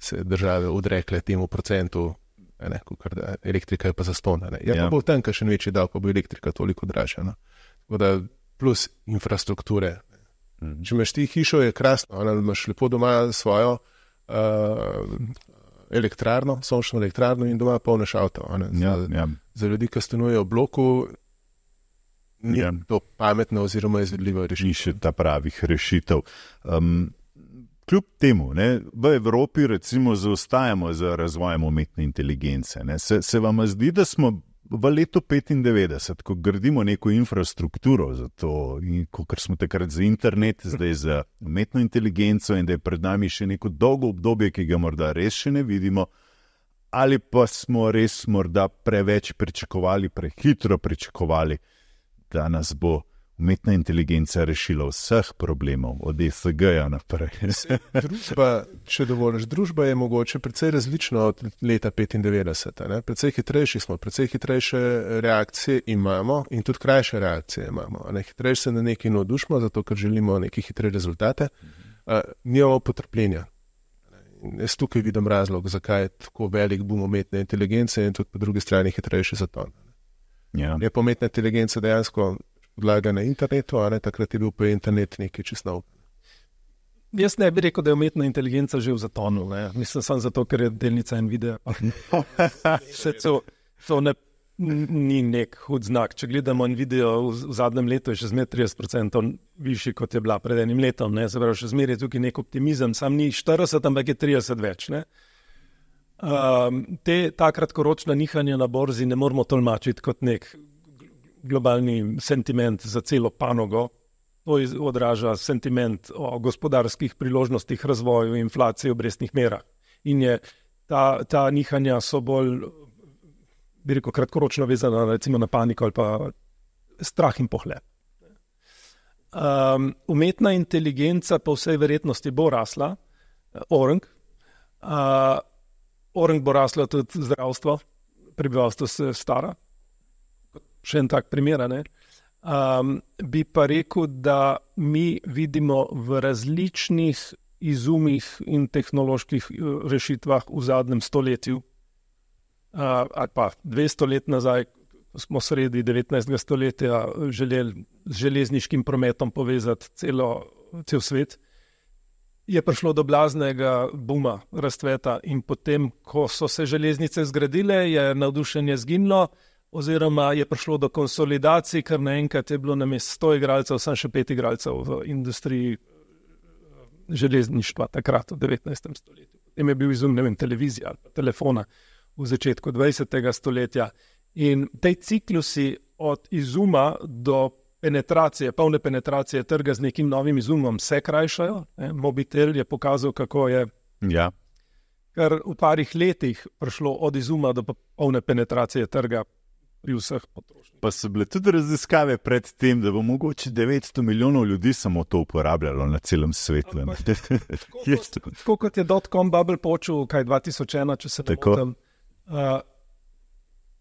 se države odrekle temu procentu, kakor da elektrika je pa zastonj. Ja, pa bo tam kakšen večji davek, pa bo elektrika toliko dražja. No. Plus infrastrukture. Če imaš ti hišo, je krasno, imaš lepo doma svojo elektrarno, sončno elektrarno in doma polneš avto. Za ljudi, ki stanujejo v bloku, ni to pametno oziroma izvedljivo rešitev. Ni še ta pravih rešitev. Kljub temu, ne, v Evropi recimo zaostajamo za razvojem umetne inteligence. Ne. Se vam zdi, da smo v letu 95, ko gradimo neko infrastrukturo za to, kot smo takrat za internet, zdaj za umetno inteligenco in da je pred nami še neko dolgo obdobje, ki ga morda res še ne vidimo, ali pa smo res morda preveč pričakovali, prehitro pričakovali, da nas bo umetna inteligenca rešila vseh problemov, od ESG-ja naprej. Družba, če dovoliš, družba je mogoče precej različna od leta 95. Ne? Precej hitrejši smo, precej hitrejše reakcije imamo in tudi krajše reakcije imamo. Hitrejše se na nekaj navdušimo, zato ker želimo neke hitre rezultate. Nimamo potrpljenja. Jaz tukaj vidim razlog, zakaj je tako velik boom umetne inteligence in tudi po drugi strani hitrejši zaton. Ja. Je pa umetna inteligenca dejansko podlaga na internetu, takrat je bil pa internet nekaj čist nov. Jaz ne bi rekel, da je umetna inteligenca že v zatonu. Ne? Mislim samo zato, ker je delnica Nvidia. To ni nek hud znak. Če gledamo Nvidio v zadnjem letu, je še zmeraj 30% višji, kot je bila pred enim letom. Ne? Se pravi, še zmeraj je tukaj nek optimizem. Sam ni 40, ampak je 30 več. Ne? Ta kratkoročna nihanja na borzi ne moramo tolmačiti kot nek globalni sentiment za celo panogo. To odraža sentiment o gospodarskih priložnostih, razvoju, inflaciji, obrestnih merah. In ta nihanja so bolj, bi rekel, kratkoročno vezana recimo na paniko ali pa strah in pohlep. Umetna inteligenca po vsej verjetnosti bo rasla, Orang bo rasla tudi zdravstvo, prebivalstvo se stara, še en tak primer, ne? Bi pa rekel, da mi vidimo v različnih izumih in tehnoloških rešitvah v zadnjem stoletju, ali pa 200 let nazaj, smo sredi 19. stoletja želeli z železniškim prometom povezati cel svet, je prišlo do blaznega buma, razcveta in potem, ko so se železnice zgradile, je navdušenje zginilo, oziroma je prišlo do konsolidacij, ker naenkrat je bilo namesto 100 igralcev, samo še 5 igralcev v industriji železništva takrat v 19. stoletju. Potem je bil izum, ne vem, televizija ali pa telefona v začetku 20. stoletja. In tej ciklusi od izuma do penetracije, polne penetracije trga z nekim novim izumom se krajšajo. Mobitel je pokazal, kako je kar v parih letih prišlo od izuma do polne penetracije trga pri vseh potrošnikih. Pa so bile tudi raziskave pred tem, da bo mogoče 900 milijonov ljudi samo to uporabljalo na celem svetu. Tako kot je dot-com bubble počel, 2001, če se ne motim.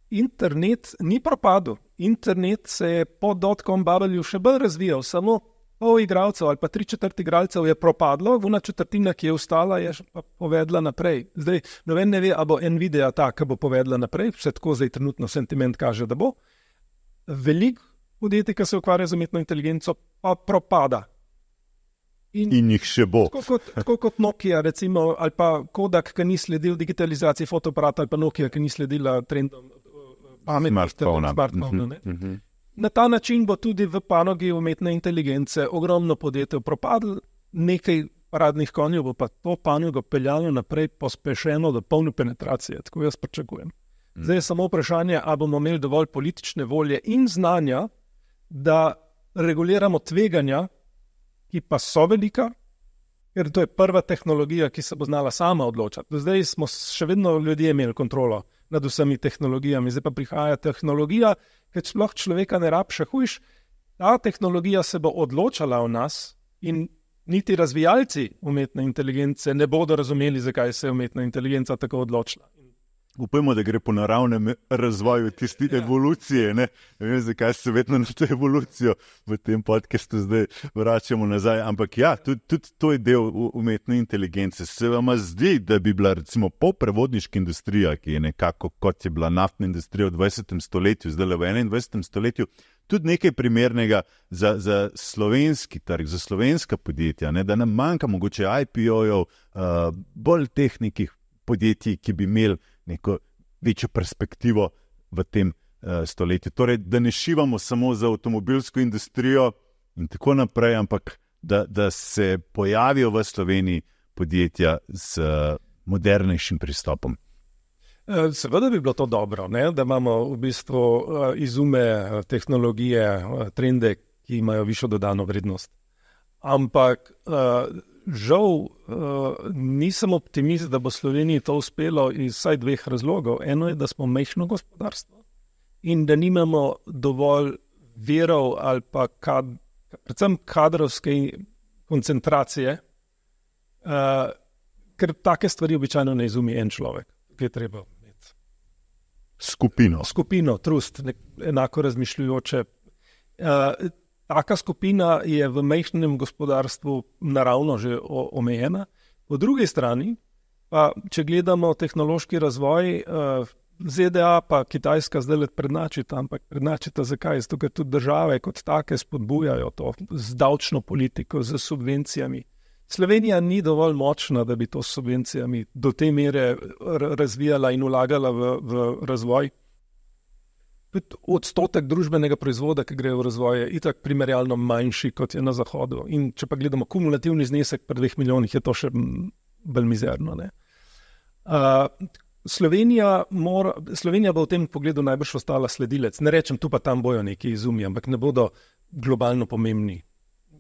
Internet ni propadel. Internet se je po dot-com bubble še bolj razvijal, samo pol igralcev ali pa 3/4 igralcev je propadlo, vna četrtina, ki je ostala, je pa povedla naprej. Zdaj, noben ne ve, a bo Nvidia ta, ki bo povedla naprej, vse tako zdaj trenutno sentiment kaže, da bo. Veliko podjetij, ki se ukvarja z umetno inteligenco, pa propada. In jih še bo. Tako kot Nokia, recimo, ali pa Kodak, ki ni sledil digitalizaciji fotoaparata, ali pa Nokia, ki ni sledila trendom pametnih smartphona. Na ta način bo tudi v panogi umetne inteligence ogromno podjetij propadlo, nekaj paradnih konjev bo pa to panogo peljalo naprej pospešeno do polne penetracije, tako jaz pričakujem. Zdaj je samo vprašanje, ali bomo imeli dovolj politične volje in znanja, da reguliramo tveganja, ki pa so velika, ker to je prva tehnologija, ki se bo znala sama odločati. Do zdaj smo še vedno ljudje imeli kontrolo nad vsemi tehnologijami, zdaj pa prihaja tehnologija, ker sploh človeka ne rab še hujš, ta tehnologija se bo odločala o nas in niti razvijalci umetne inteligence ne bodo razumeli, zakaj se je umetna inteligenca tako odločila. Upajmo, da gre po naravnem razvoju tiste evolucije. Ne vem, zakaj se vedno na to evolucijo v tem podcastu zdaj vračamo nazaj. Ampak ja, tudi to je del umetne inteligence. Se vam zdi, da bi bila recimo prevodniška industrija, ki je nekako kot je bila naftna industrija v 20. stoletju, zdaj v 21. stoletju, tudi nekaj primernega za slovenski trg, za slovenska podjetja, ne? Da nam manjka mogoče IPO-jev, bolj teh nekih podjetij, ki bi imeli neko večjo perspektivo v tem stoletju. Torej, da ne šivamo samo za avtomobilsko industrijo in tako naprej, ampak da se pojavijo v Sloveniji podjetja z modernejšim pristopom. Seveda bi bilo to dobro, ne? Da imamo v bistvu izume, tehnologije, trende, ki imajo višjo dodano vrednost. Ampak žal nisem optimist, da bo Sloveniji to uspelo iz vsaj dveh razlogov. Eno je, da smo majhno gospodarstvo in da nimamo dovolj virov ali pa predvsem kadrovske koncentracije, ker take stvari običajno ne izumi en človek, ki je treba imeti. Skupino, trust, enako razmišljujoče. Taka skupina je v majhnem gospodarstvu naravno že omejena. Po drugi strani, pa če gledamo tehnološki razvoj, ZDA pa Kitajska zdaj prednačita, ampak prednačita zakaj? Zato, ker tudi države kot take spodbujajo to z davčno politiko, z subvencijami. Slovenija ni dovolj močna, da bi to s subvencijami do te mere razvijala in vlagala v razvoj. Odstotek družbenega proizvoda, ki gre v razvoj, je itak primerjalno manjši, kot je na Zahodu. In če pa gledamo kumulativni znesek pri 2 milijonih, je to še bolj mizerno. Ne? Slovenija bo v tem pogledu najbrž ostala sledilec. Ne rečem, tu pa tam bojo neki izumi, ampak ne bodo globalno pomembni.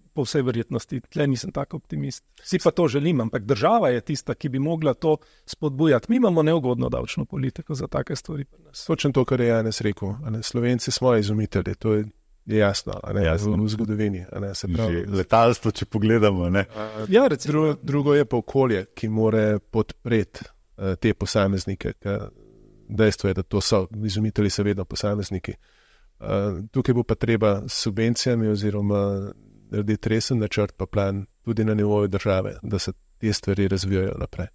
Po vsej verjetnosti, tle nisem tako optimist. Si pa to želim, ampak država je tista, ki bi mogla to spodbujati. Mi imamo neugodno davčno politiko za take stvari. Točno to, kar je Janez rekel. Slovenci smo izumitelji, to je jasno, v zgodovini. Letalstvo, če pogledamo. Ja, drugo je pa okolje, ki more podpreti te posameznike. Dejstvo je, da to so izumitelji, so vedno posamezniki. Tukaj bo pa treba s subvencijami oziroma narediti resen načrt pa plan tudi na nivoju države, da se te stvari razvijajo naprej.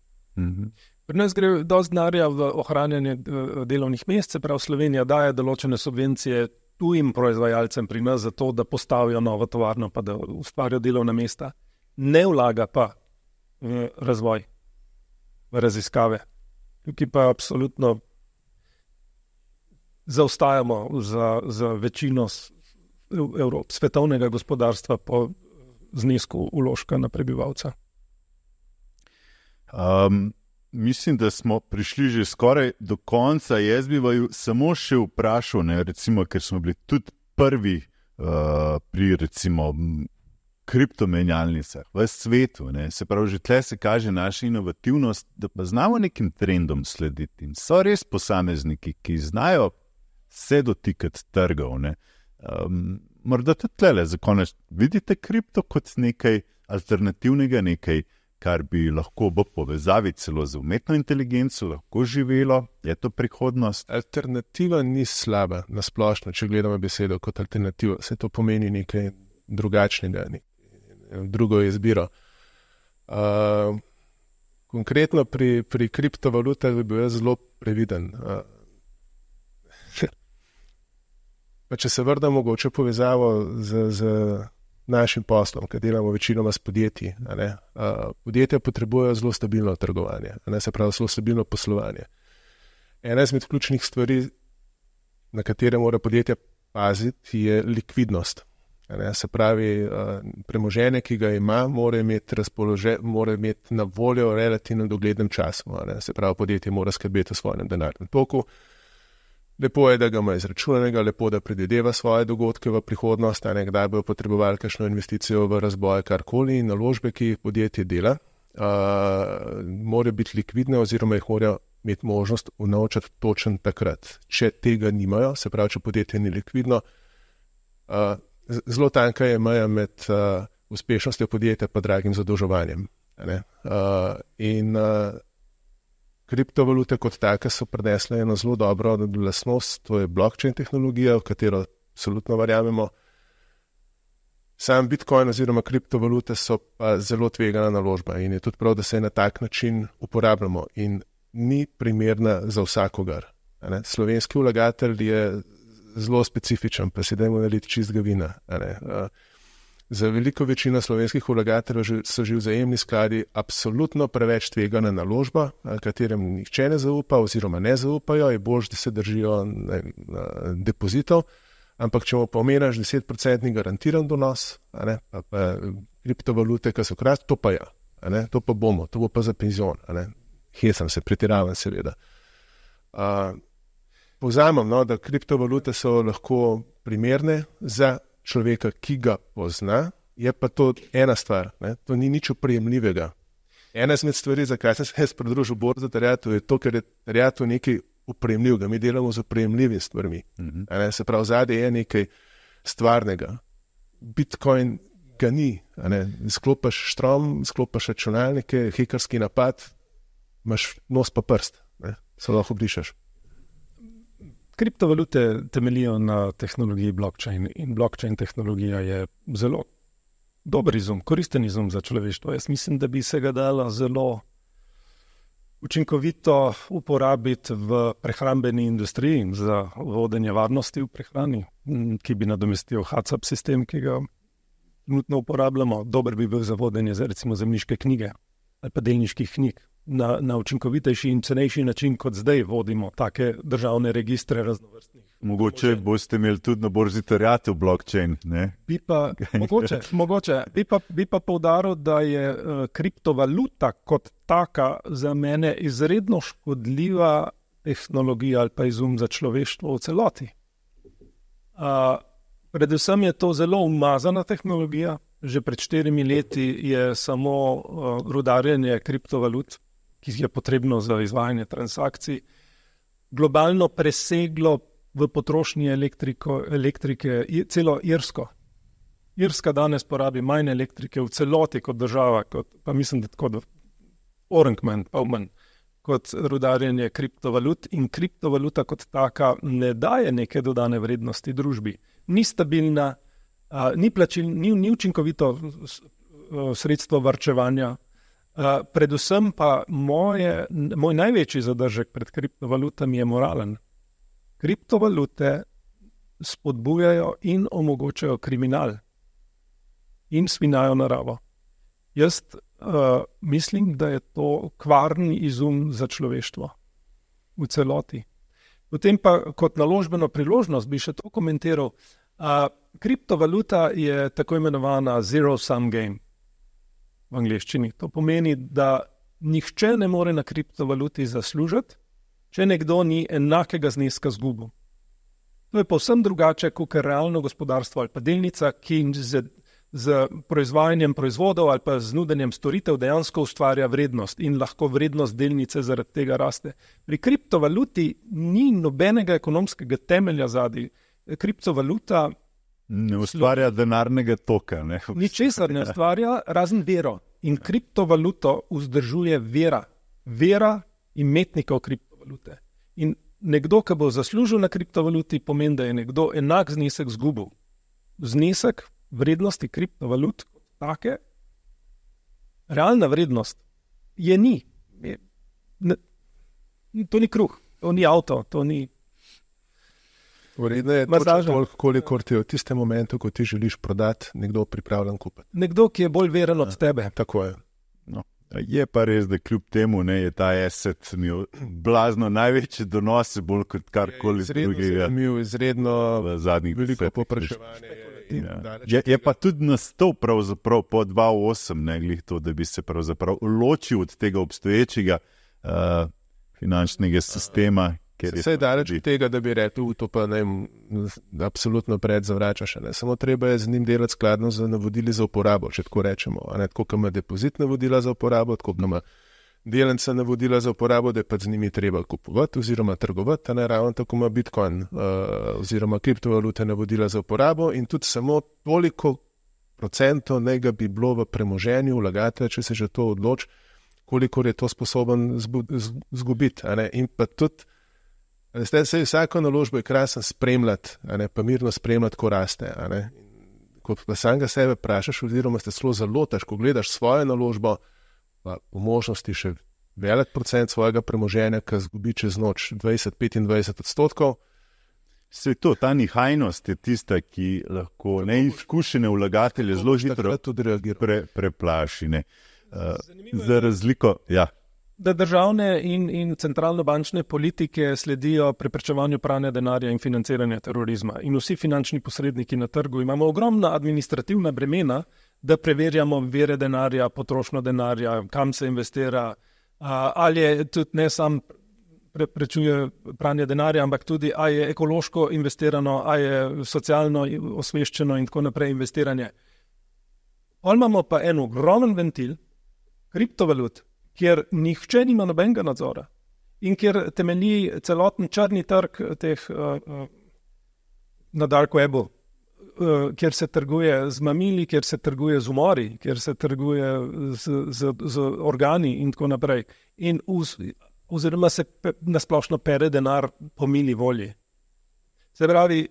Pri nas gre dosti denarja v ohranjanje delovnih mest, se pravi Slovenija daje določene subvencije tujim proizvajalcem pri nas za to, da postavijo novo tovarno pa da ustvarijo delovna mesta. Ne vlaga pa v razvoj, v raziskave. Tukaj pa absolutno zaostajamo za večino svetovnega gospodarstva po znesku vložka na prebivalca. Mislim, da smo prišli že skoraj do konca. Jaz bi vaju samo še vprašal, recimo, ker smo bili tudi prvi pri recimo kriptomenjalnicah v svetu. Se pravi, že tle se kaže naša inovativnost, da pa znamo nekim trendom slediti. In so res posamezniki, ki znajo se dotikati trgov. Morda tudi tlele za konec vidite kripto kot nekaj alternativnega, nekaj, kar bi lahko v povezavi celo z umetno inteligenco lahko živelo. Je to prihodnost? Alternativa ni slaba na splošno, če gledamo besedo kot alternativa. Se to pomeni nekaj drugačnega, drugo izbiro. Konkretno pri kriptovalutah bi bil jaz zelo previden. Pa če se vrnem mogoče povezavo z našim poslom, ker delamo večinoma s podjetji. Podjetja potrebujejo zelo stabilno trgovanje, se pravi zelo stabilno poslovanje. Ena izmed ključnih stvari, na katere mora podjetja paziti, je likvidnost. Se pravi, premoženje, ki ga ima, mora imeti na voljo v relativno doglednem času. Se pravi, podjetje mora skrbeti o svojem denarnem toku. Lepo je, da ga ima izračunanega, lepo, da predvideva svoje dogodke v prihodnost, kdaj bojo potrebovali kakšno investicijo v razboj, karkoli, in naložbe, ki jih podjetje dela, morajo biti likvidne oziroma jih morajo imeti možnost unovčati točen takrat. Če tega nimajo, se pravi, če podjetje ni likvidno, zelo tanka je meja med uspešnostjo podjetja pa dragim zadolževanjem. Kriptovalute kot take so prinesle eno zelo dobro lastnost, to je blockchain tehnologija, v katero absolutno verjamemo. Sam Bitcoin oziroma kriptovalute so pa zelo tvegana naložba in je tudi prav, da se na tak način uporabljamo in ni primerna za vsakogar. Slovenski vlagatelj je zelo specifičen, pa si dajmo naliti čistega vina. Za veliko večino slovenskih vlagateljev so že vzajemni skladi absolutno preveč tvegana naložba, katerem nihče ne zaupa oziroma ne zaupajo, je bolj, da se držijo depozitov, ampak če mu pa omeniš 10% garantiran donos, pa kriptovalute, ki so kratki, to pa ja, to pa bomo, to bo pa za penzion, hecam se, pretiravam seveda. Povzamem, da kriptovalute so lahko primerne za človeka, ki ga pozna, je pa to ena stvar, to ni nič oprijemljivega. Ena izmed stvari, zakaj sem se jaz pridružil borzi za terjatev, je to, ker je terjatev nekaj oprijemljivega. Mi delamo z oprijemljivimi stvarmi. Se pravi, zadaj je nekaj stvarnega. Bitcoin ga ni. Sklopaš štrom, sklopaš računalnike, hekerski napad, imaš nos pa prst, se lahko obrišeš. Kriptovalute temeljijo na tehnologiji blockchain in blockchain tehnologija je zelo dober izum, koristen izum za človeštvo. Jaz mislim, da bi se ga dalo zelo učinkovito uporabiti v prehrambeni industriji za vodenje varnosti v prehrani, ki bi nadomestil HACCP sistem, ki ga trenutno uporabljamo, dober bi bil za vodenje za recimo zemljiške knjige ali pa delniških knjig na učinkovitejši in cenejši način, kot zdaj vodimo take državne registre raznovrstnih. Mogoče boste imeli tudi na borzi terjatev blockchain, ne? Mogoče. Bi pa poudaril, da je kriptovaluta kot taka za mene izredno škodljiva tehnologija ali pa izum za človeštvo v celoti. Predvsem je to zelo umazana tehnologija. Že pred 4 leti je samo rudarjenje kriptovalut, ki je potrebno za izvajanje transakcij, globalno preseglo v potrošnji elektrike celo Irsko. Irska danes porabi manj elektrike v celoti kot država, pa mislim, da tako Orangman, pa manj, kot rudarjenje kriptovalut, in kriptovaluta kot taka ne daje neke dodane vrednosti družbi. Ni stabilna, ni učinkovito sredstvo varčevanja. Predvsem pa moj največji zadržek pred kriptovalutami je moralen. Kriptovalute spodbujajo in omogočajo kriminal in svinjajo naravo. Jaz mislim, da je to kvarni izum za človeštvo v celoti. Potem pa kot naložbeno priložnost bi še to komentiral. Kriptovaluta je tako imenovana zero-sum game v angleščini. To pomeni, da nihče ne more na kriptovaluti zaslužiti, če nekdo ni enakega zneska zgubil. To je povsem drugače kot realno gospodarstvo ali pa delnica, ki z proizvajanjem proizvodov ali pa z nudenjem storitev dejansko ustvarja vrednost in lahko vrednost delnice zaradi tega raste. Pri kriptovaluti ni nobenega ekonomskega temelja zadaj. Kriptovaluta ne ustvarja denarnega toka. Ničesar ne ustvarja, razen vero. In kriptovaluto vzdržuje vera. Vera imetnikov kriptovalute. In nekdo, ki bo zaslužil na kriptovaluti, pomeni, da je nekdo enak znesek zgubil. Znesek vrednosti kriptovalut kot take, realna vrednost je ni. To ni kruh, to ni avto, to ni... Vredno je toliko, kolikor ti v tistem momentu, ko ti želiš prodati, nekdo pripravljen kupiti. Nekdo, ki je bolj veren od tebe. Tako je. No. Je pa res, da kljub temu je ta asset imel blazno največji donos, bolj kot karkoli drugega. Izredno veliko popraševanje. Je pa tudi nastal pravzaprav po 2008, glih to, da bi se pravzaprav ločil od tega obstoječega finančnega sistema. Vse je daleč od tega, da bi rekel, to pa absolutno predzavračaš. Samo treba je z njim delati skladno z navodili za uporabo, če tako rečemo. Tako, ko ima depozit navodila za uporabo, tako, ko ima delnica navodila za uporabo, da je pa z njimi treba kupovati oziroma trgovati, ravno tako ima Bitcoin oziroma kriptovalute navodila za uporabo in tudi samo toliko procentov nekaj bi bilo v premoženju vlagatelja, če se že to odloči, kolikor je to sposoben zgubiti. In pa tudi vsako naložbo je krasen spremljati, pa mirno spremljati, ko raste. Ko pa samega sebe vprašaš, oziroma ste zelo lotaš, ko gledaš svojo naložbo, pa po možnosti še velik procent svojega premoženja, ki zgubi čez noč 20-25%. Se to, ta nihajnost je tista, ki lahko neizkušene vlagatelje zelo hitro preplaši. Za razliko, ja. Da državne in centralno-bančne politike sledijo preprečevanju pranja denarja in financiranja terorizma. In vsi finančni posredniki na trgu imamo ogromna administrativna bremena, da preverjamo vire denarja, potrošnjo denarja, kam se investira, ali je tudi ne sam preprečuje pranje denarja, ampak tudi, ali je ekološko investirano, ali je socialno osveščeno in tako naprej investiranje. Ali imamo pa en ogromen ventil, kriptovalut, kjer nihče nima nobenega nadzora in kjer temelji celoten črni trg teh na dark webu, kjer se trguje z mamili, kjer se trguje z umori, kjer se trguje z organi in tako naprej. In oziroma se nasplošno pere denar po mili volji. Se pravi,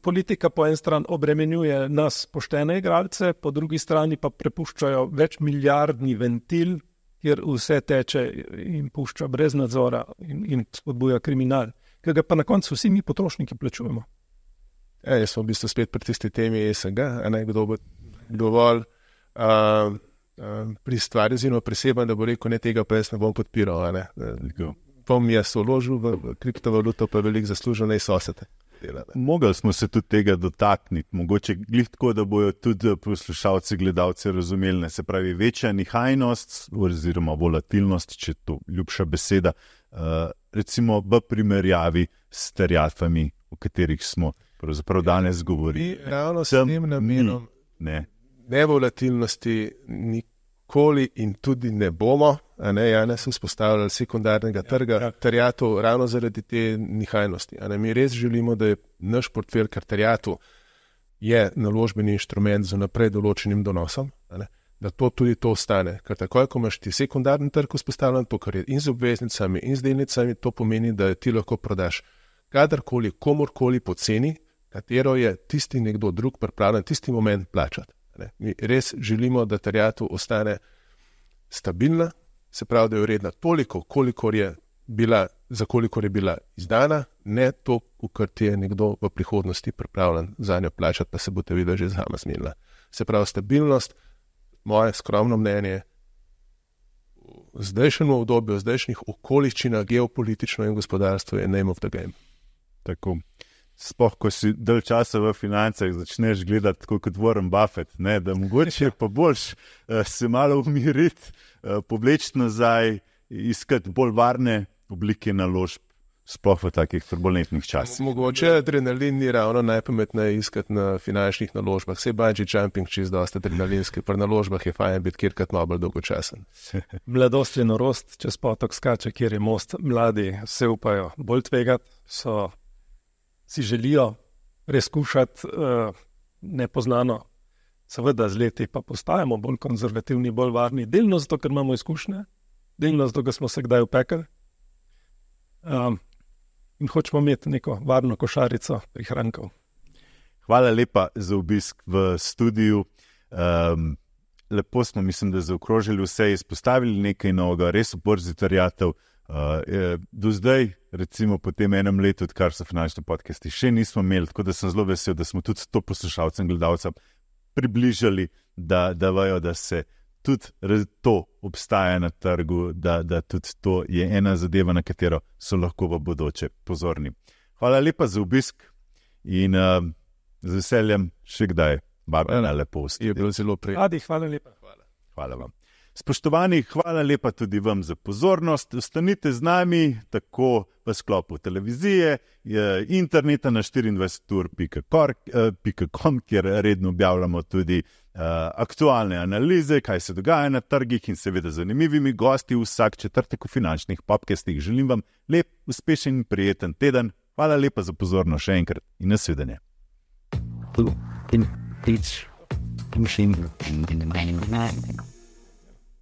politika po en stran obremenjuje nas poštene igralce, po drugi strani pa prepuščajo več milijardni ventil, kjer vse teče in pušča brez nadzora in spodbuja kriminal, ki ga pa na koncu vsi mi potrošniki plačujemo. Jaz smo v bistvu spet pri tisti temi ESG, kdo bo dovolj pri stvari zelo preseben, da bo rekel, ne tega pa jaz ne bom podpiral. Ne? Pol mi jaz vložil v kriptovaluto, pa veliko zaslužil, ne sosete. Mogli smo se tudi tega dotakniti, mogoče glih tako, da bojo tudi poslušalci, gledalci razumeli, ne, se pravi večja nihajnost oziroma volatilnost, če je to ljubša beseda, recimo v primerjavi s terjatvami, o katerih smo pravzaprav danes govorili. Ravno s tem namenom nevolatilnosti nikoli in tudi ne bomo, so vzpostavljali sekundarnega trga terjatov ravno zaradi te nihajnosti. Mi res želimo, da je naš portfelj terjatov je naložbeni inštrument z naprej določenim donosom, da tudi to ostane. Ker takoj, ko imaš ti sekundarni trg vzpostavljen, to, kar je in z obveznicami in z delnicami, to pomeni, da ti lahko prodaš kadarkoli, komorkoli po ceni, katero je tisti nekdo drug pripravljen tisti moment plačati. Mi res želimo, da terjatev ostane stabilna, se pravi, da je vredna toliko, za kolikor je bila izdana, ne to, kar ti je nekdo v prihodnosti pripravljen za njo plačati, pa se bo te videla že sama zmenila. Se pravi, stabilnost, moje skromno mnenje, v zdajšnjem obdobju, v zdajšnjih okoliščinah, geopolitično in gospodarstvo je name of the game. Tako. Sploh, ko si dalj časa v financah, začneš gledati tako kot Warren Buffett, ne, da mogoče pa boljš se malo umiriti, povleči nazaj, iskati bolj varne oblike naložb, sploh v takih turbulentnih časih. Mogoče adrenalin ni ravno najpametneje iskati na finančnih naložbah. Sej bungee jumping čist dosta adrenalinski, pri naložbah je fajn biti kjerkrat malo bolj dolgočasen. Mladost je norost, čez potok skače, kjer je most. Mladi se upajo bolj tvegati, si želijo preizkušati nepoznano. Seveda z leti pa postajamo bolj konzervativni, bolj varni. Delno zato, ker imamo izkušnje, delno zato, ker smo se kdaj upekli. In hočemo imeti neko varno košarico prihrankov. Hvala lepa za obisk v studiu. Lepo smo, mislim, da zaokrožili vse, izpostavili nekaj novega, res v borzi terjatev. Do zdaj, recimo po tem enem letu, odkar so finančni podcasti, še nismo imeli, tako da sem zelo vesel, da smo tudi to poslušalcem, gledalcem približali, da vejo, da se tudi to obstaja na trgu, da tudi to je ena zadeva, na katero so lahko v bodoče pozorni. Hvala lepa za obisk in z veseljem še kdaj vabim na lepo vstop. Je bilo zelo prijetno. Adi, hvala lepa. Hvala vam. Spoštovani, hvala lepa tudi vam za pozornost. Ostanite z nami tako v sklopu televizije, interneta na 24ur.com, kjer redno objavljamo tudi aktualne analize, kaj se dogaja na trgih in seveda zanimivimi gosti vsak četrtek v finančnih podcastih. Želim vam lep, uspešen in prijeten teden. Hvala lepa za pozornost še enkrat in nasvidenje. In